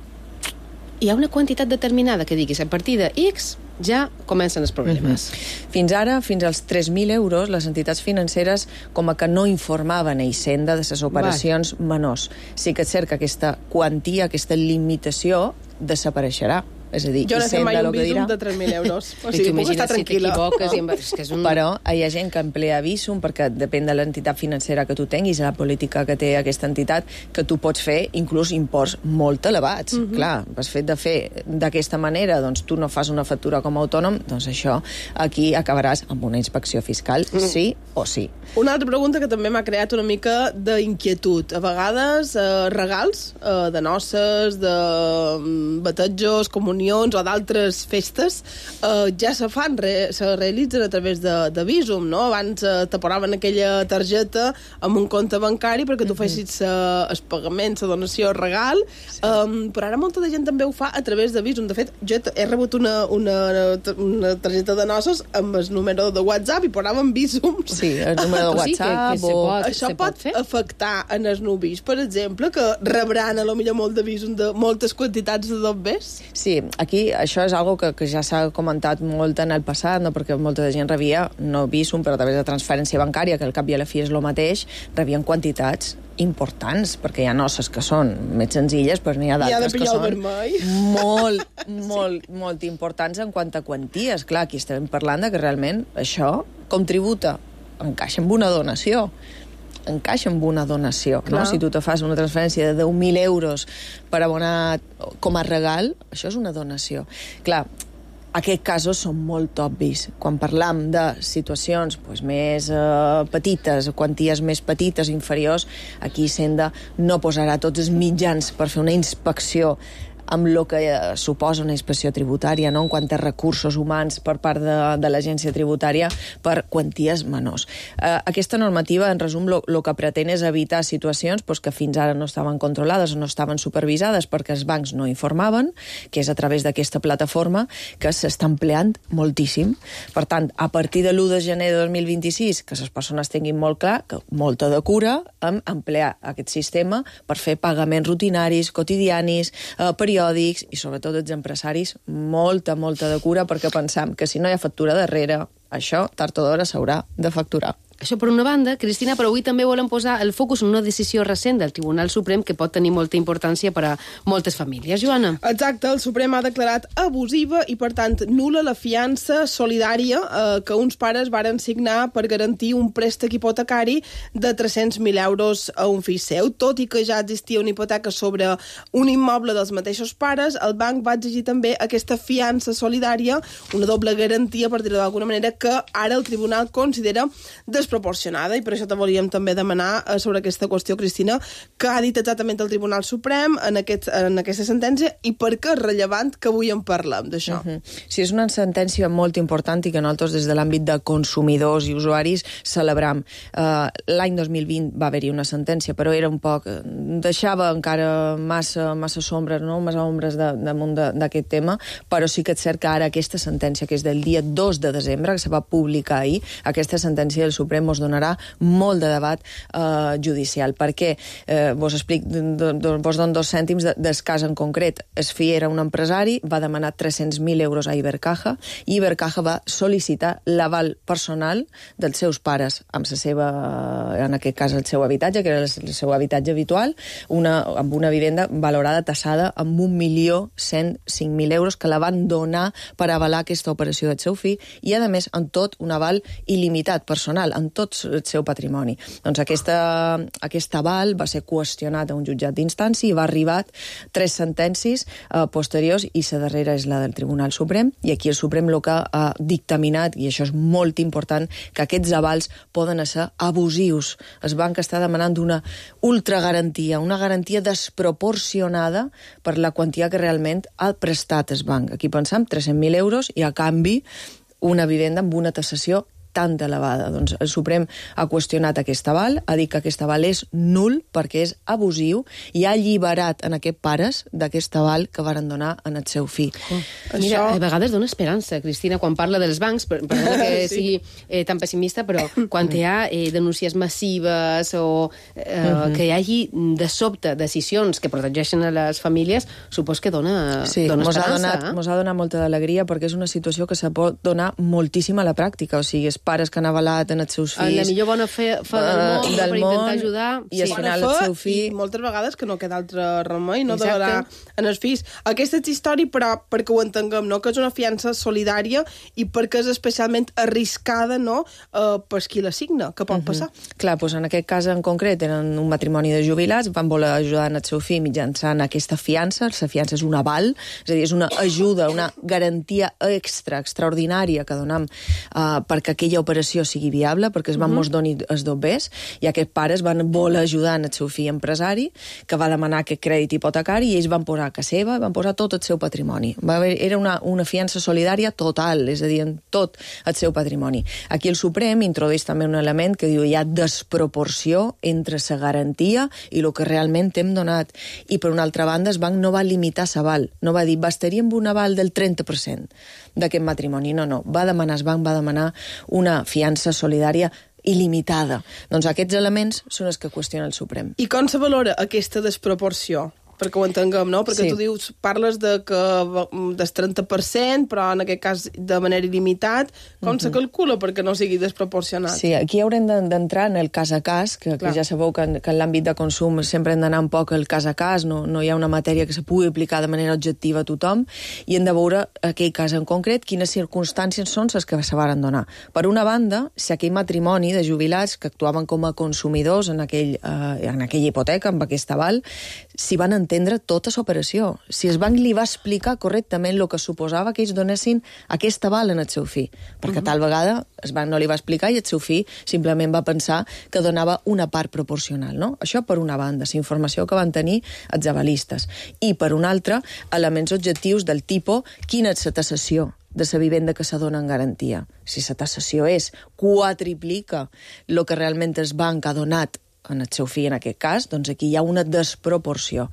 hi ha una quantitat determinada que diguis a partir de X ja comencen els problemes. Uh-huh. Fins ara, fins als tres mil euros, les entitats financeres com a que no informaven a Hisenda de les operacions vale. menors. Sí que és cert que aquesta quantia, aquesta limitació desapareixerà. És a dir, jo no sé mai un Bizum dirà... de tres mil euros. O sigui, puc estar tranquil·la. Si no? És que és un... Però hi ha gent que emplea Bizum perquè depèn de l'entitat financera que tu tinguis, la política que té aquesta entitat, que tu pots fer inclús imports molt elevats. Uh-huh. Clar, el fet de fer d'aquesta manera, doncs tu no fas una factura com a autònom, doncs això aquí acabaràs amb una inspecció fiscal, uh-huh. sí o sí. Una altra pregunta que també m'ha creat una mica d'inquietud. A vegades, eh, regals eh, de noces, de batejos, comunions o d'altres festes eh, ja se fan, re, se realitzen a través de, de Bizum, no? Abans eh, te posaven aquella targeta amb un compte bancari perquè tu fessis eh, el pagament, la donació, el regal, sí. eh, però ara molta de gent també ho fa a través de Bizum. De fet, jo he rebut una, una, una targeta de noces amb el número de WhatsApp i posaven Bizum. Sí, el número de WhatsApp. Sí, que, que o... pot, Això pot, pot afectar en els nuvis, per exemple, que rebran a lo millor molt de Bizum de moltes quantitats de dobbers? Sí, aquí això és algo que, que ja s'ha comentat molt en el passat, no? Perquè molta gent rebia, no Bizum, però a través de transferència bancària, que al cap i a la fi és el mateix, rebien quantitats importants, perquè hi ha noces que són més senzilles, però n'hi ha d'altres que són molt, molt, molt importants en quant a quanties. Clar, aquí estem parlant de que realment això contributa, encaixa amb una donació. encaixa amb una donació, no? Si tu te fas una transferència de deu mil euros per abonar com a regal, això és una donació. Clar, aquests casos són molt obvis. Quan parlam de situacions doncs, més eh, petites, quanties més petites, inferiors, aquí Hisenda no posarà tots els mitjans per fer una inspecció amb el que eh, suposa una inspecció tributària, no? En quant a recursos humans per part de, de l'agència tributària per quanties menors. Eh, aquesta normativa, en resum, el que pretén és evitar situacions pues, que fins ara no estaven controlades o no estaven supervisades perquè els bancs no informaven, que és a través d'aquesta plataforma que s'està empleant moltíssim. Per tant, a partir de l'u de gener de dos mil vint-i-sis, que les persones tinguin molt clar que molta de cura en emplear aquest sistema per fer pagaments rutinaris, quotidianis, eh, periòdics, i sobretot els empresaris molta, molta de cura perquè pensam que si no hi ha factura darrere, això tard o d'hora s'haurà de facturar. Això per una banda, Cristina, però avui també volem posar el focus en una decisió recent del Tribunal Suprem que pot tenir molta importància per a moltes famílies. Joana. Exacte, el Suprem ha declarat abusiva i, per tant, nul·la la fiança solidària eh, que uns pares varen signar per garantir un préstec hipotecari de tres-cents mil euros a un fill seu. Tot i que ja existia una hipoteca sobre un immoble dels mateixos pares, el banc va exigir també aquesta fiança solidària, una doble garantia, per dir-ho d'alguna manera, que ara el Tribunal considera desproporcionada, i per això te volíem també demanar eh, sobre aquesta qüestió, Cristina, que ha dit exactament el Tribunal Suprem en, aquest, en aquesta sentència i per què és rellevant que avui en parlem d'això. Uh -huh. Sí, és una sentència molt important i que nosaltres des de l'àmbit de consumidors i usuaris celebram. Uh, L'any dos mil vint va haver-hi una sentència, però era un poc... deixava encara massa, massa sombres, no? massa ombres de, damunt d'aquest tema, però sí que és cert que ara aquesta sentència, que és del dia dos de desembre, que se va publicar ahir, aquesta sentència del Suprem Suprem ens donarà molt de debat eh, judicial. Per què? Eh, vos explic, vos dono dos cèntims de, del cas en concret. Es fi era un empresari, va demanar tres-cents mil euros a Ibercaja i Ibercaja va sol·licitar l'aval personal dels seus pares amb la seva, en aquest cas el seu habitatge, que era el seu habitatge habitual, una, amb una vivenda valorada, tassada amb un milió cent cinc mil euros que la van donar per avalar aquesta operació del seu fill i, a més, en tot un aval il·limitat personal, en tot el seu patrimoni. Doncs aquesta, aquest aval va ser qüestionat a un jutjat d'instància i va arribar tres sentències eh, posteriors i la darrera és la del Tribunal Suprem i aquí el Suprem el que ha dictaminat, i això és molt important, que aquests avals poden ser abusius. El banc està demanant una ultragarantia, una garantia desproporcionada per la quantia que realment ha prestat el banc. Aquí pensem tres-cents mil euros i a canvi una vivenda amb una tassació tan elevada. Doncs el Suprem ha qüestionat aquest aval, ha dit que aquest aval és nul perquè és abusiu i ha alliberat en aquests pares d'aquest aval que varen donar en el seu fill. Oh. Mira, a vegades dona esperança, Cristina, quan parla dels bancs, per, per que sí. sigui eh, tan pessimista, però quan hi ha eh, denúncies massives o eh, uh-huh. que hi hagi de sobte decisions que protegeixen a les famílies, supos que dona, sí, dona mos esperança. Ha donat, eh? Mos ha donat molta d'alegria perquè és una situació que se pot donar moltíssim a la pràctica, o sigui, pares que han avalat en els seus fills... La millor bona fe, fe del món, uh, del per intentar món, ajudar... I al sí. final el seu fill... I moltes vegades que no queda altre remei, no donarà en els fills. Aquesta és història, però perquè ho entenguem, no? Que és una fiança solidària i perquè és especialment arriscada, no? Uh, per qui la signa, que pot uh-huh. passar. Clar, doncs en aquest cas en concret eren un matrimoni de jubilats, van voler ajudar en el seu fill mitjançant aquesta fiança. La fiança és un aval, és a dir, és una ajuda, una garantia extra, extraordinària que donem uh, perquè aquella operació sigui viable, perquè es van uh-huh. mos doni els dobbers, i aquests pares van voler ajudar en el seu fill empresari, que va demanar aquest crèdit hipotecari, i ells van posar a casa seva, van posar tot el seu patrimoni. Va haver, era una, una fiança solidària total, és a dir, en tot el seu patrimoni. Aquí el Suprem introdueix també un element que diu hi ha desproporció entre la garantia i el que realment hem donat. I per una altra banda, el banc no va limitar l'aval, no va dir, bastaria amb un aval del trenta per cent d'aquest matrimoni. No, no, va demanar, el banc va demanar una fiança solidària il·limitada. Doncs aquests elements són els que qüestiona el Suprem. I com se valora aquesta desproporció? Perquè ho entenguem, no? Perquè sí. tu dius, parles de que del trenta per cent, però en aquest cas de manera il·limitat. Com uh-huh. se calcula perquè no sigui desproporcionat? Sí, aquí haurem d'entrar en el cas a cas, que, que ja sabeu que en, que en l'àmbit de consum sempre hem d'anar un poc el cas a cas, no, no hi ha una matèria que se pugui aplicar de manera objectiva a tothom, i hem de veure aquell cas en concret, quines circumstàncies són les que se varen donar. Per una banda, si aquell matrimoni de jubilats que actuaven com a consumidors en, aquell, eh, en aquella hipoteca, amb aquest aval, s'hi van entendre tota l'operació. Si el banc li va explicar correctament el que suposava que ells donessin aquest aval en el seu fill, perquè uh-huh. tal vegada el banc no li va explicar i el seu fill simplement va pensar que donava una part proporcional, no? Això per una banda, la informació que van tenir els avalistes. I per una altra, elements objectius del tipus quina és la tassació de la vivenda que se dona en garantia. Si la tassació és quadriplica el que realment el banc ha donat en el seu fill en aquest cas, doncs aquí hi ha una desproporció.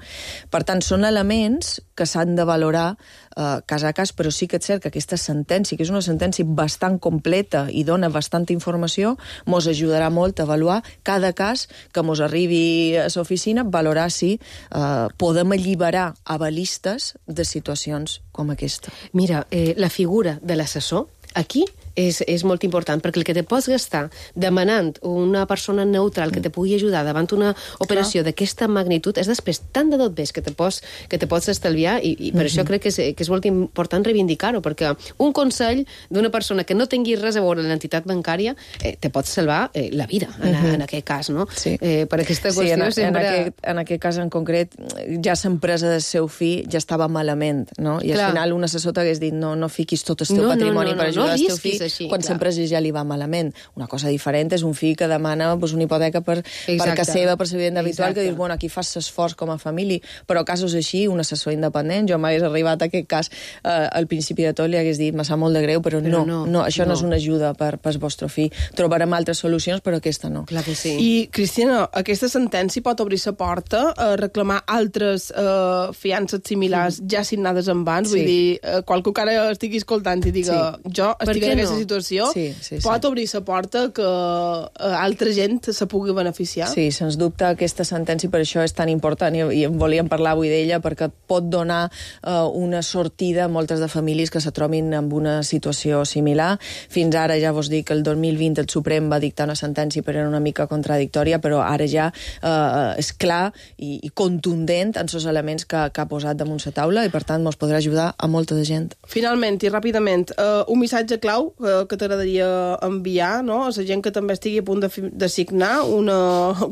Per tant, són elements que s'han de valorar eh, cas a cas, però sí que és cert que aquesta sentència, que és una sentència bastant completa i dona bastanta informació, mos ajudarà molt a avaluar cada cas que mos arribi a l'oficina, valorar si eh, podem alliberar avalistes de situacions com aquesta. Mira, eh, la figura de l'assessor, aquí és, és molt important, perquè el que te pots gastar demanant una persona neutral que te pugui ajudar davant una operació d'aquesta magnitud és després tant de tot bé que te pots, que te pots estalviar i, i per mm-hmm. això crec que és, que és molt important reivindicar-ho, perquè un consell d'una persona que no tingui res a veure amb l'entitat bancària eh, te pot salvar eh, la vida en, mm-hmm. en aquest cas, no? Sí. Eh, per aquesta qüestió sí, en, sempre... en, aquest, en aquest cas en concret ja l'empresa del seu fill ja estava malament, no? I Clar. Al final un assessor t'hagués dit no, no fiquis tot el teu no, patrimoni no, no, per ajudar no, no el teu fill així, quan l'empresa ja li va malament. Una cosa diferent és un fill que demana pues, una hipoteca per, per casa seva, per la vivenda habitual, que dius, bueno, aquí fas l'esforç com a família, però casos així, un assessor independent, jo m'hagués arribat a aquest cas eh, al principi de tot, li hagués dit, me sap molt de greu, però, però no, no, no, això no. no és una ajuda per, per el vostre fill. Trobarem altres solucions, però aquesta no. Clar que sí. I, Cristina, aquesta sentència pot obrir la porta a reclamar altres eh, fiances similars sí. ja signades en abans, sí. vull dir, eh, qualcú que ara estigui escoltant i diga, sí. jo estic en aquesta aquesta situació, sí, sí, sí. pot obrir la porta que uh, altra gent se pugui beneficiar. Sí, sens dubte aquesta sentència per això és tan important i, i volíem parlar avui d'ella perquè pot donar uh, una sortida a moltes de famílies que se trobin en una situació similar. Fins ara ja vos dic que el dos mil vint el Suprem va dictar una sentència però era una mica contradictòria, però ara ja uh, és clar i, i contundent en els elements que, que ha posat damunt la taula i per tant ens podrà ajudar a molta de gent. Finalment i ràpidament, uh, un missatge clau uh, que t'agradaria enviar, no?, a la gent que també estigui a punt de, de signar una,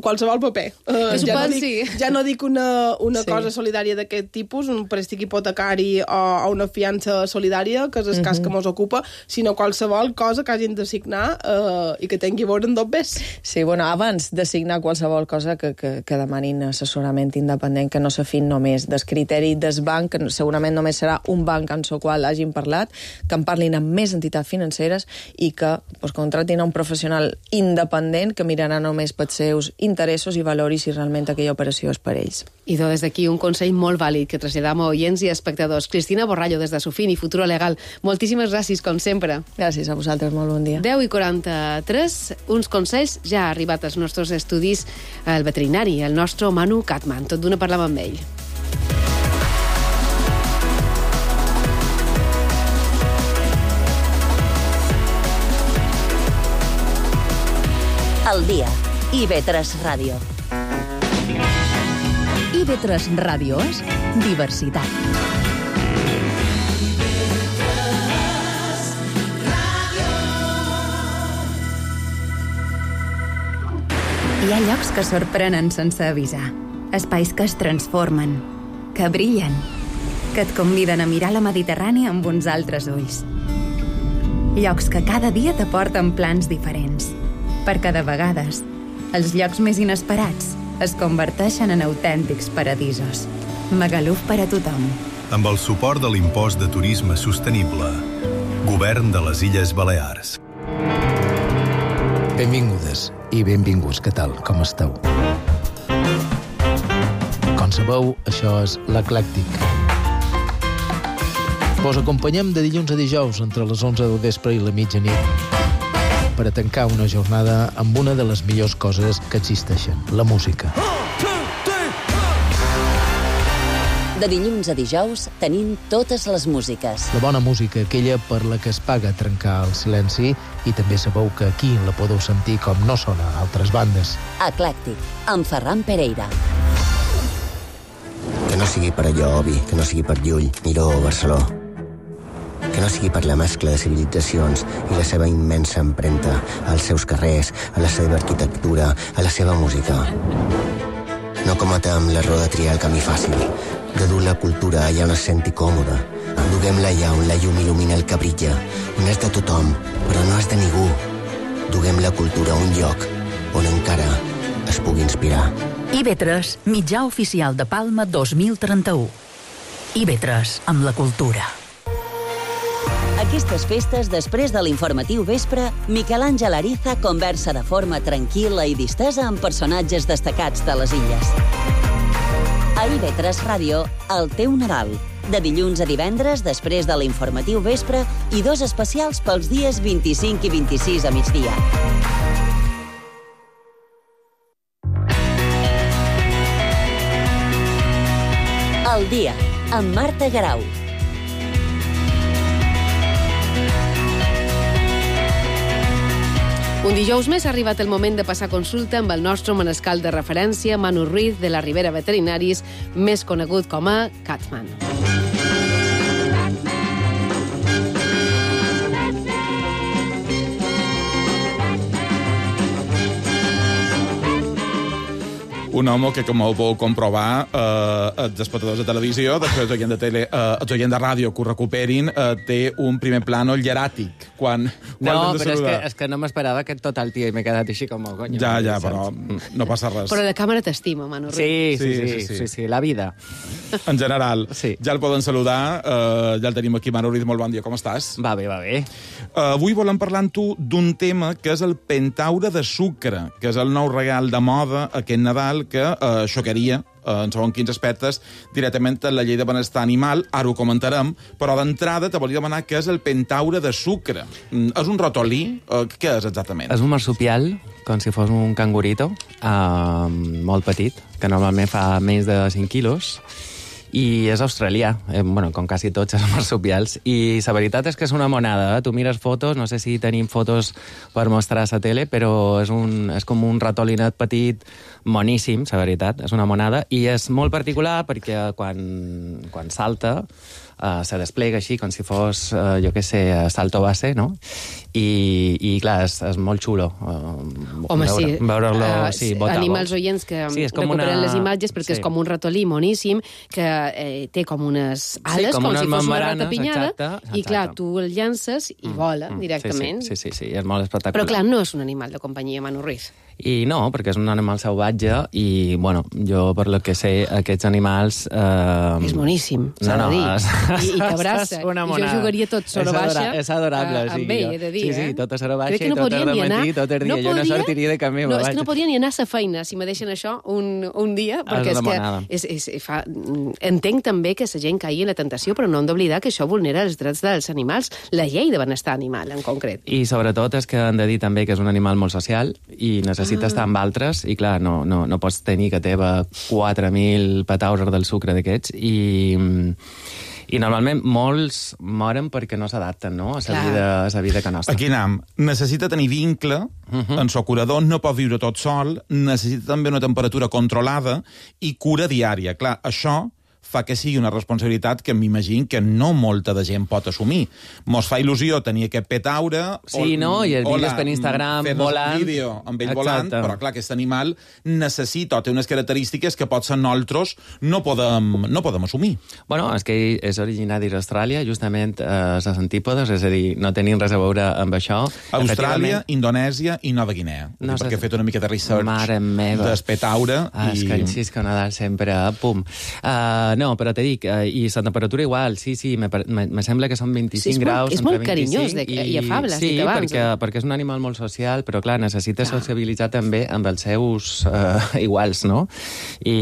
qualsevol paper. Uh, ja, no dic, sí. ja no dic una, una sí. cosa solidària d'aquest tipus, un préstec hipotecari o, o una fiança solidària, que és el cas uh -huh. que mos ocupa, sinó qualsevol cosa que hagin de signar uh, i que tingui a veure amb dos bes. Sí, bueno, abans de signar qualsevol cosa que, que, que demanin assessorament independent, que no se fin només del criteri del banc, que segurament només serà un banc en el qual hagin parlat, que en parlin amb més entitats financeres i que pues, contratin a un professional independent que mirarà només pels seus interessos i valori si realment aquella operació és per ells. I do, des d'aquí un consell molt vàlid que traslladam a oients i espectadors. Cristina Borrallo, des de Sofini, Futuro Legal. Moltíssimes gràcies, com sempre. Gràcies a vosaltres, molt bon dia. deu i quaranta-tres, uns consells ja ha arribat als nostres estudis el veterinari, el nostre Manu Catman. Tot d'una parlam amb ell. El dia. I ve tres Ràdio. I ve tres Ràdio és diversitat. Hi ha llocs que sorprenen sense avisar. Espais que es transformen, que brillen, que et conviden a mirar la Mediterrània amb uns altres ulls. Llocs que cada dia t'aporten plans diferents, perquè de vegades els llocs més inesperats es converteixen en autèntics paradisos. Magaluf per a tothom. Amb el suport de l'impost de turisme sostenible. Govern de les Illes Balears. Benvingudes i benvinguts, què tal, com esteu? Com sabeu, això és l'Eclèctic. Vos acompanyem de dilluns a dijous entre les onze del vespre i la mitjanit per a tancar una jornada amb una de les millors coses que existeixen, la música. De dilluns a dijous tenim totes les músiques. La bona música, aquella per la que es paga trencar el silenci, i també sabeu que aquí la podeu sentir com no sona a altres bandes. Eclèctic, amb Ferran Pereira. Que no sigui per allò, Obi, que no sigui per Llull, Miró o Barceló. Que no sigui per la mescla de civilitzacions i la seva immensa empremta als seus carrers, a la seva arquitectura, a la seva música. No cometem l'error de triar el camí fàcil, de dur la cultura allà on es senti còmoda. Duguem-la allà on la llum il·lumina el que brilla, on és de tothom, però no és de ningú. Duguem la cultura a un lloc on encara es pugui inspirar. I ve tres, mitjà oficial de Palma dos mil trenta-u. I ve tres, amb la cultura. Aquestes festes, després de l'informatiu vespre, Miquel Àngel Ariza conversa de forma tranquil·la i distesa amb personatges destacats de les illes. A I ve tres Ràdio, el teu Nadal. De dilluns a divendres, després de l'informatiu vespre, i dos especials pels dies vint-i-cinc i vint-i-sis a migdia. El dia, amb Marta Garau. Un dijous més ha arribat el moment de passar consulta amb el nostre manescal de referència, Manu Ruiz, de la Ribera Veterinaris, més conegut com a Catman. Un home que, com ho vau comprovar, eh, els espectadors de televisió, després els oients de, tele, eh, els oients de ràdio que ho recuperin, eh, té un primer plano hieràtic. Quan, quan no, però és que, és que no m'esperava que tot el dia i m'he quedat així com el coño. Ja, ja, però no passa res. Però la càmera t'estima, Manu Ruiz. Sí sí sí, sí, sí, sí, sí, la vida. En general. Sí. Ja el poden saludar, eh, ja el tenim aquí, Manu Ruiz, molt bon dia, com estàs? Va bé, va bé. Uh, avui volem parlar amb tu d'un tema que és el pentaure de sucre, que és el nou regal de moda aquest Nadal perquè eh, xocaria en segons quins aspectes, directament a la llei de benestar animal, ara ho comentarem, però d'entrada te volia demanar què és el pentaure de sucre. És un ratolí? Què és exactament? És un marsupial, com si fos un cangurito, eh, molt petit, que normalment fa menys de cinc quilos, i és australià, eh, bueno, com quasi tots els marsupials, i la veritat és que és una monada, eh? Tu mires fotos, no sé si tenim fotos per mostrar a la tele, però és, un, és com un ratolinet petit, moníssim, la veritat, és una monada, i és molt particular perquè quan, quan salta uh, se desplega així, com si fos, uh, jo què sé, salto base, no? I, i clar, és, és molt xulo. Uh, Home, veure, sí. Veure-lo, uh, sí, bota, animals oients que sí, recuperen una... les imatges perquè sí. És com un ratolí moníssim que eh, té com unes ales, sí, com, com si fos una rata pinyada, exacte, exacte. I clar, tu el llances i mm, vola mm, directament. Sí, sí, sí, sí, és molt espectacular. Però clar, no és un animal de companyia, Manu Ruiz. I no, perquè és un animal salvatge i, bueno, jo, per lo que sé, aquests animals... Eh... És moníssim, s'ha no, no, de dir. És... I, I que abraça. I jo jugaria tot soro baixa. És adorable, uh, sí. Amb ell, he de dir, sí, sí, eh? tot a soro baixa no i tot a rementir, tot el dia. No jo podria... no sortiria de camí. No, és que no podria ni anar a sa feina si me deixen això un, un dia, perquè és, és que... És, és, fa... Entenc també que la gent caigui en la tentació, però no hem d'oblidar que això vulnera els drets dels animals, la llei de benestar animal, en concret. I sobretot és que han de dir també que és un animal molt social i necessita ah. estar amb altres, i clar, no, no, no pots tenir que teva quatre mil petaures del sucre d'aquests, i, i normalment molts moren perquè no s'adapten, no?, a la vida, a la vida que nostra. Aquí anem. Necessita tenir vincle, uh-huh. en socurador, no pot viure tot sol, necessita també una temperatura controlada i cura diària. Clar, això fa que sigui una responsabilitat que m'imagino que no molta de gent pot assumir. Mos fa il·lusió tenir aquest petaure... Sí, o, no? I el vídeos per Instagram volant... Fer-nos un vídeo amb ell volant, però clar, aquest animal necessita o té unes característiques que potser nosaltres no podem, no podem assumir. Bueno, és que és originari d'Austràlia, justament eh, les antípodes, és a dir, no tenim res a veure amb això. Austràlia, Indonèsia i Nova Guinea. No sé, perquè he fet una mica de research del petaure. Ah, i... És que insisc que Nadal sempre, pum. Uh, no, però te dic, eh, i la temperatura igual, sí, sí, me, me, me sembla que són vint-i-cinc sí, és graus. Molt, és molt carinyós de, i, i afable, sí, si abans. perquè, perquè és un animal molt social, però clar, necessita ah. sociabilitzar també amb els seus eh, iguals, no? I,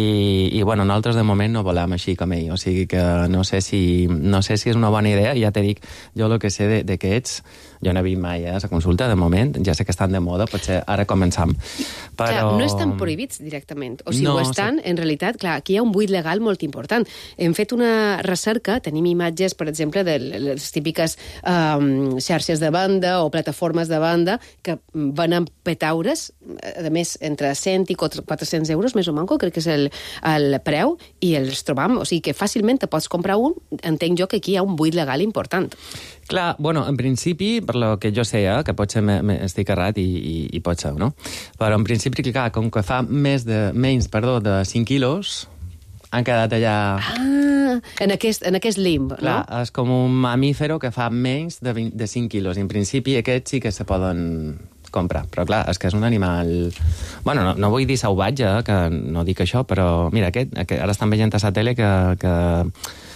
i bueno, nosaltres de moment no volem així com ell, o sigui que no sé si, no sé si és una bona idea, ja te dic, jo el que sé de, de que ets, jo no he vist mai a la consulta, de moment, ja sé que estan de moda, potser ara començam. Però... Clar, no estan prohibits directament, o si no, ho estan, sí. En realitat, clar, aquí hi ha un buit legal molt important. Hem fet una recerca, tenim imatges, per exemple, de les típiques um, xarxes de banda o plataformes de banda que venen petaures, a més, entre cent i quatre-cents euros, més o manco, crec que és el, el preu, i els trobam, o sigui que fàcilment te pots comprar un, entenc jo que aquí hi ha un buit legal important. Clar, bueno, en principi, per lo que jo sé, eh, que potser me, me estic errat i, i, i pot ser, no? Però en principi, clar, com que fa més de, menys, perdó, de cinc quilos, han quedat allà... Ah, en aquest, en aquest limb, clar, no? És com un mamífero que fa menys de, vint, de cinc quilos. En principi, aquests sí que se poden comprar. Però clar, és que és un animal... Bueno, no, no vull dir salvatge, que no dic això, però mira, aquest, aquest ara estan veient a la tele que, que,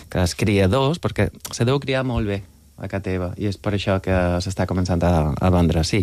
que els criadors, perquè se deu criar molt bé a casa teva, i és per això que s'està començant a, a vendre, sí.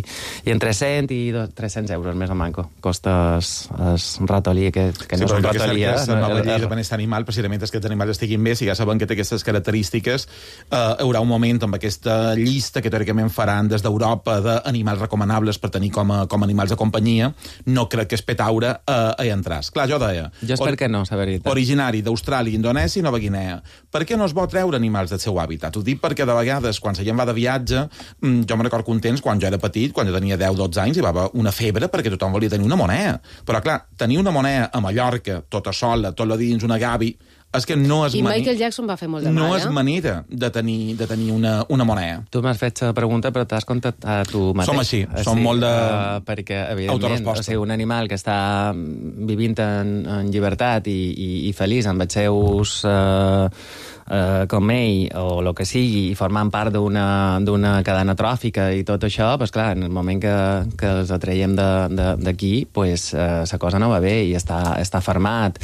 I entre cent i tres-cents euros, més o manco, costa el ratolí, que, que no sí, és un ratolí. Sí, però la nova llei de benestar animal, precisament és que els animals estiguin bé, si ja saben que té aquestes característiques, eh, hi haurà un moment amb aquesta llista que teòricament faran des d'Europa d'animals recomanables per tenir com a, com a animals de companyia, no crec que es petaure eh, hi entràs. Clar, jo deia... Jo espero que no, la veritat. Originari d'Austràlia, Indonèsia i Nova Guinea. Per què no es vol treure animals del seu hàbitat? Ho dic perquè de vegades quan la gent va de viatge, jo me recordo contents quan jo era petit, quan jo tenia deu o dotze anys, hi va haver una febre perquè tothom volia tenir una moneda. Però clar, tenir una moneda a Mallorca, tota sola, tot el dins, una gavi, és que no és I manera... Michael Jackson va fer molt de mal, no eh? és manera de tenir, de tenir una, una moneda. Tu m'has fet la pregunta, però t'has contestat tu mateix. Som així, som molt de... Uh, perquè, evidentment, o sigui, un animal que està vivint en, en llibertat i, i, i feliç amb els seus... Uh, Uh, com ell, o el que sigui, i formant part d'una cadena tròfica i tot això, pues, clar, en el moment que, que els atraiem d'aquí, pues, uh, la cosa no va bé i està, està fermat.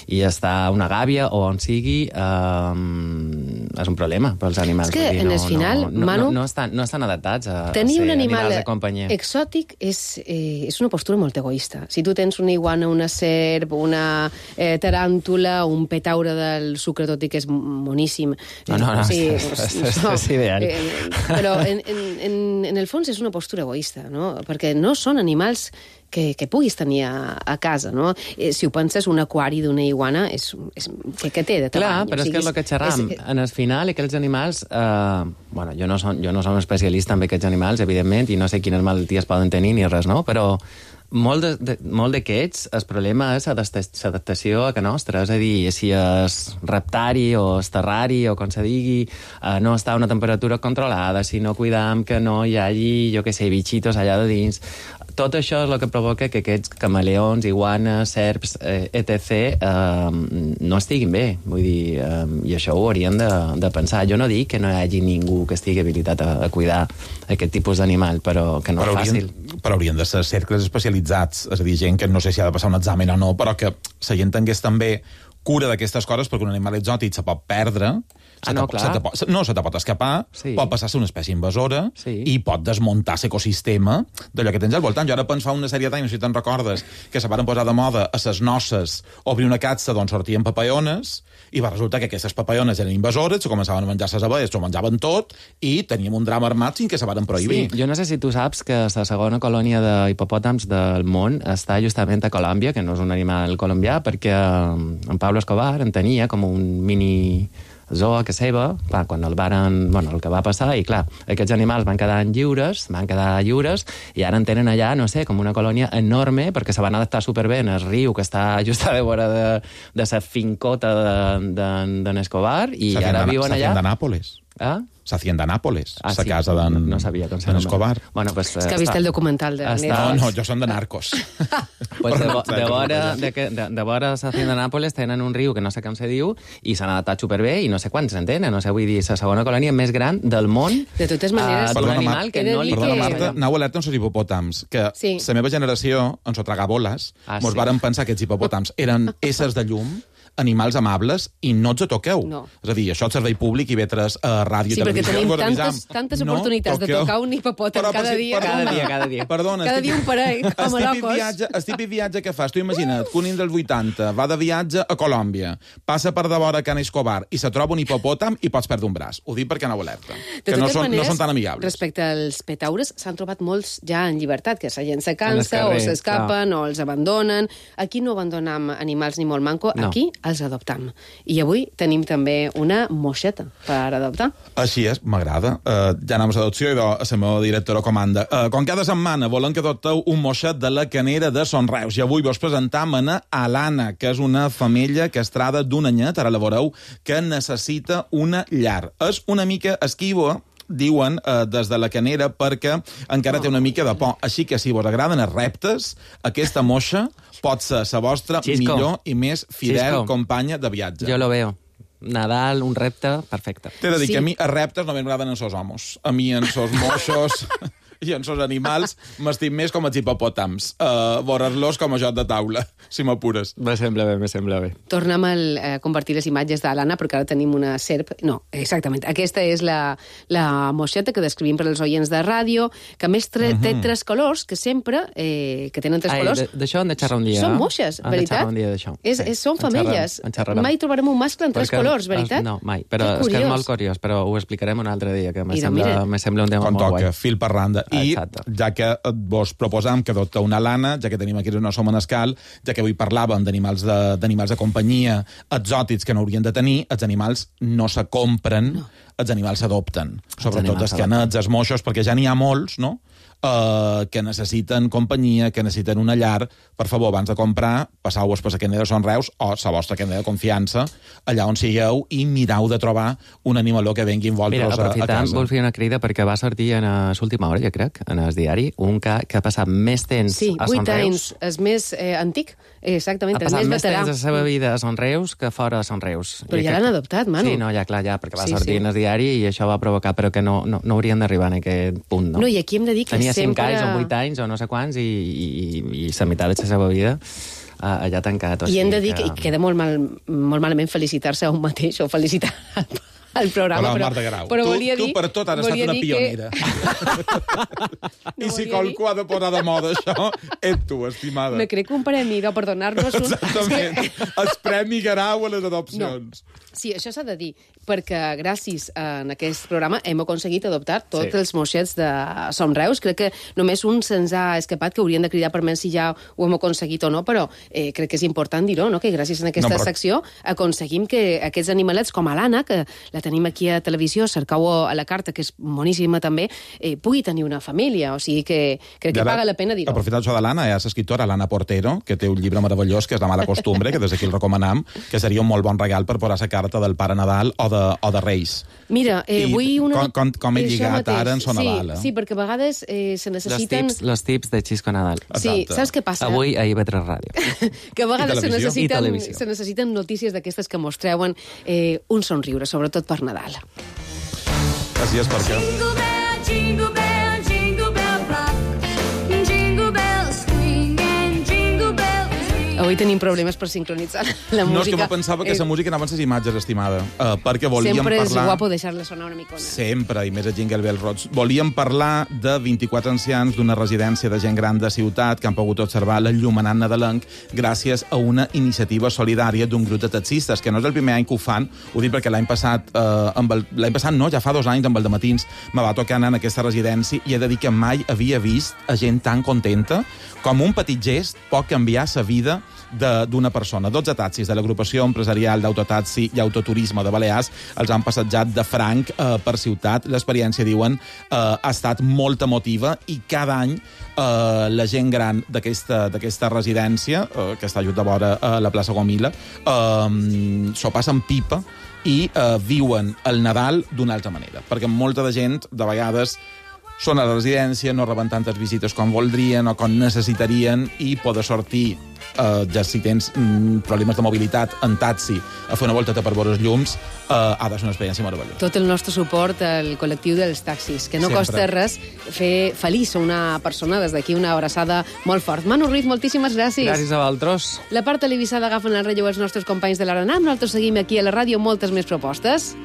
i està una gàbia o on sigui, eh, és un problema pels animals. És que, dir, en no, el final, no, Manu... No, no, estan, no estan adaptats a, a tenir ser un animal animals de companyia. exòtic és, eh, és una postura molt egoista. Si tu tens una iguana, una serp, una eh, taràntula, un petaure del sucre, tot i que és moníssim... No, no, no, sí, és, és, és, no, és ideal. Eh, però en, en, en, en el fons és una postura egoista, no? Perquè no són animals que, que puguis tenir a, a casa, no? Eh, si ho penses, un aquari d'una iguana és, és, que, que té de tamany. Clar, però o sigui, és que és el que xerram. És... En el final, aquells animals... Eh, bueno, jo no, som, jo no som especialista en aquests animals, evidentment, i no sé quines malalties poden tenir ni res, no? Però molt, de, de, molt d'aquests, el problema és l'adaptació a que nostra. És a dir, si és reptari o és terrari o com se digui, eh, no està a una temperatura controlada, si no cuidam que no hi hagi, jo què sé, bitxitos allà de dins... Tot això és el que provoca que aquests camaleons, iguanes, serps, eh, etcètera, eh, no estiguin bé. Vull dir, eh, i això ho haurien de, de pensar. Jo no dic que no hi hagi ningú que estigui habilitat a, a cuidar aquest tipus d'animal, però que no però és haurien, fàcil. Però haurien de ser cercles especialitzats, és a dir, gent que no sé si ha de passar un examen o no, però que la gent tingués també cura d'aquestes coses, perquè un animal exòtic se pot perdre, Ah, no, clar. Se te pot, no, se te pot escapar, Sí. pot passar a ser una espècie invasora Sí. i pot desmuntar l'ecosistema d'allò que tens al voltant. Jo ara penso fa una sèrie d'anys, no sé si te'n recordes, que se van posar de moda a ses noces obrir una catsa d'on sortien papaiones i va resultar que aquestes papaiones eren invasores, se començaven a menjar ses abelles, s'ho menjaven tot i teníem un drama armat fins que se van prohibir. Sí, jo no sé si tu saps que la segona colònia d'hipopòtams del món està justament a Colòmbia, que no és un animal colombià, perquè en Pablo Escobar en tenia com un mini zoo a casa seva, clar, quan el varen, bueno, el que va passar, i clar, aquests animals van quedar lliures, van quedar lliures, i ara en tenen allà, no sé, com una colònia enorme, perquè se van adaptar superbé en el riu, que està just a veure de, de sa fincota d'en de, de, Escobar, i ara viuen allà... S'hacienda Nápoles. Ah? S'hacienda Nápoles, Ah, sa sí? casa d'en No sabia com se d'en nomena. Escobar. Bueno, pues, És que ha vist està- el documental de està- No, no, jo som de narcos. Pues de, vo- de vora de, que- de, de vora s'Hacienda Nàpoles tenen un riu que no sé com se diu i s'han adaptat superbé i no sé quants en tenen. No sé, vull dir, la segona colònia més gran del món. De totes maneres, uh, d'un Perdona, animal Mar- que no li Perdona, té- Marta, anau alerta amb els hipopòtams, que Sí. la meva generació, en so tragar boles, Ah, mos sí. varen pensar que aquests hipopòtams eren éssers de llum, animals amables, i no ens toqueu. No. És a dir, això és servei públic i vetres a ràdio Sí, i perquè televisió. tenim us avisam. tantes, tantes No oportunitats de toqueu. tocar un hipopòtam Però, cada per si- dia. perdona. Cada dia, cada dia. Perdona, Cada el dia un parell, com a el típic locos. viatge, el típic viatge que fas. Tu imagina't que un nen dels vuitanta va de viatge a Colòmbia, passa per de vora Can Escobar i se troba un hipopòtam i pots perdre un braç. Ho dic perquè anau alerta. De Que no totes són, maneres, no són tan amigables. respecte als petaures, s'han trobat molts ja en llibertat, que la gent se En el cansa o carrer, s'escapen o els abandonen. Aquí no abandonam animals ni molt manco, No. aquí els adoptam. I avui tenim també una moixeta per adoptar. Així és, m'agrada. Uh, ja anem a l'adopció i a la meva directora comanda. Uh, com cada setmana volen que adopteu un moixet de la Canera de Son Reus. I avui vos presentam a Alana, que és una femella castrada d'un anyet, ara la veureu, que necessita una llar. És una mica esquiva, diuen eh, des de la Canera, perquè encara té una mica de por. Així que si vos agraden els reptes, aquesta moixa pot ser la vostra Xisco. millor i més fidel Xisco. companya de viatge. Jo lo veo. Nadal, un repte, perfecte. T'he de dir Sí. que a mi els reptes no m'agraden en sos homes. A mi en sos moixos i en sos animals m'estim més com els hipopòtams. Uh, Veure'ls com a joc de taula, si m'apures. Me sembla bé, me sembla bé. Tornem a compartir les imatges de l'Anna, perquè ara tenim una serp... No, exactament. Aquesta és la, la moixeta que descrivim per als oients de ràdio, que a més tre, té tres colors, que sempre, eh, que tenen tres Ai, colors... de- d'això hem de xerrar un dia. Són moixes, Hem de veritat? xerrar un dia d'això. És, Sí, és, són en xerrem, femelles. en xerrarem. Mai trobarem un mascle en tres Perquè- colors, veritat? No, mai. Però Que és que és curiós. molt curiós, però ho explicarem un altre dia, que me, Mira, sembla, mira. me sembla un tema Com molt toca, guai. fil per randa. I Exacte. ja que vos proposam que adopteu una lana, ja que tenim aquí no som en escal, ja que avui parlàvem d'animals de, d'animals de companyia exòtics que no haurien de tenir, els animals no se compren, no. els animals s'adopten. Sobretot animals els s'adopten. canets, els moixos, perquè ja n'hi ha molts, no?, Uh, que necessiten companyia, que necessiten una llar. Per favor, abans de comprar, passau-vos per la Canera de Son Reus o la vostra Canera de confiança, allà on sigueu, i mirau de trobar un animaló que vengui amb Mira, vosaltres a, a aprofitant, casa. vol fer una crida perquè va sortir en l'última hora, jo crec, en el diari, un que, que ha passat més temps Sí, a Son vuit Reus. anys, és més eh, antic, exactament, Ha és passat més més veterà. temps a la seva vida a Son Reus que fora a Son Reus. Però I ja crec- l'han adoptat, Manu. Sí, no, ja, clar, ja, perquè va Sí, sortir sí. en el diari i això va provocar, però que no, no, no haurien d'arribar en aquest punt, no? No, i aquí hem de dir que Tenia cinc sempre- anys o vuit anys o no sé quants i, i, i la meitat de la seva vida allà tancat. I hem de dir que queda molt, mal, molt malament felicitar-se a un mateix o felicitar el programa, però, però, però, però tu, volia dir... Tu per tot has estat una pionera. Que... I si qualcú ha de posar de moda això, ets tu, estimada. Me crec un premi de perdonar-nos un... Exactament. El premi Garau a les adopcions. No. Sí, això s'ha de dir, perquè gràcies a aquest programa hem aconseguit adoptar tots sí. els moixets de Som Reus. Crec que només un se'ns ha escapat, que haurien de cridar per menys si ja ho hem aconseguit o no, però eh, crec que és important dir-ho, no? Que gràcies a aquesta no, però... secció aconseguim que aquests animalets, com a l'Anna, que la tenim aquí a televisió, cercau-ho a la carta, que és boníssima també, eh, pugui tenir una família. O sigui que crec que paga la pena dir-ho. Aprofitant això de l'Anna, hi ha l'escriptora l'Anna Portero, que té un llibre meravellós, que és La mala costumbre, que des d'aquí el recomanam, que seria un molt bon regal per posar la carta del Pare Nadal o de, o de Reis. Mira, eh, vull una... Com, com, com he lligat ara en Son sí, Nadal. Eh? Sí, perquè a vegades eh, se necessiten... Los tips, los tips de Xisco Nadal. Sí, saps què passa? Avui a I V tres Ràdio. Que a vegades se necessiten, se necessiten notícies d'aquestes que mos treuen eh, un somriure, sobretot per Nadal. Així és perquè... Jingle bell, jingle bell, jingle bell rock. Jingle bells swing and jingle bells ring. Avui tenim problemes per sincronitzar la música. No, és que me pensava que la música anaven les imatges, estimada, uh, perquè volíem Sempre parlar... Sempre és guapo deixar-la sonar una micona. Sempre, i més a Jingle Bell Rock. Volíem parlar de vint-i-quatre ancians d'una residència de gent gran de ciutat que han pogut observar l'enllumenat nadalenc gràcies a una iniciativa solidària d'un grup de taxistes, que no és el primer any que ho fan, ho dic perquè l'any passat, eh, amb el, l'any passat no, ja fa dos anys, amb el dematins, me va tocar anar en aquesta residència i he de dir que mai havia vist a gent tan contenta com un petit gest pot canviar la vida d'una persona. dotze taxis de l'agrupació empresarial d'autotaxi i autoturisme de Balears els han passejat de franc eh, per ciutat. L'experiència, diuen, eh, ha estat molt emotiva i cada any eh, la gent gran d'aquesta residència, eh, que està just de vora a la plaça Gomila, eh, s'ho passen pipa i eh, viuen el Nadal d'una altra manera. Perquè molta de gent, de vegades, són a la residència, no reben tantes visites com voldrien o com necessitarien i poder sortir, eh, ja si tens mm, problemes de mobilitat en taxi, a fer una volteta per veure els llums, eh, ha de ser una experiència meravellosa. Tot el nostre suport al col·lectiu dels taxis, que no Sempre. costa res fer feliç a una persona. Des d'aquí una abraçada molt fort. Manu Ruiz, moltíssimes gràcies. Gràcies a vosaltres. La part televisada agafen el relleu els nostres companys de l'Aranam. Nosaltres seguim aquí a la ràdio moltes més propostes.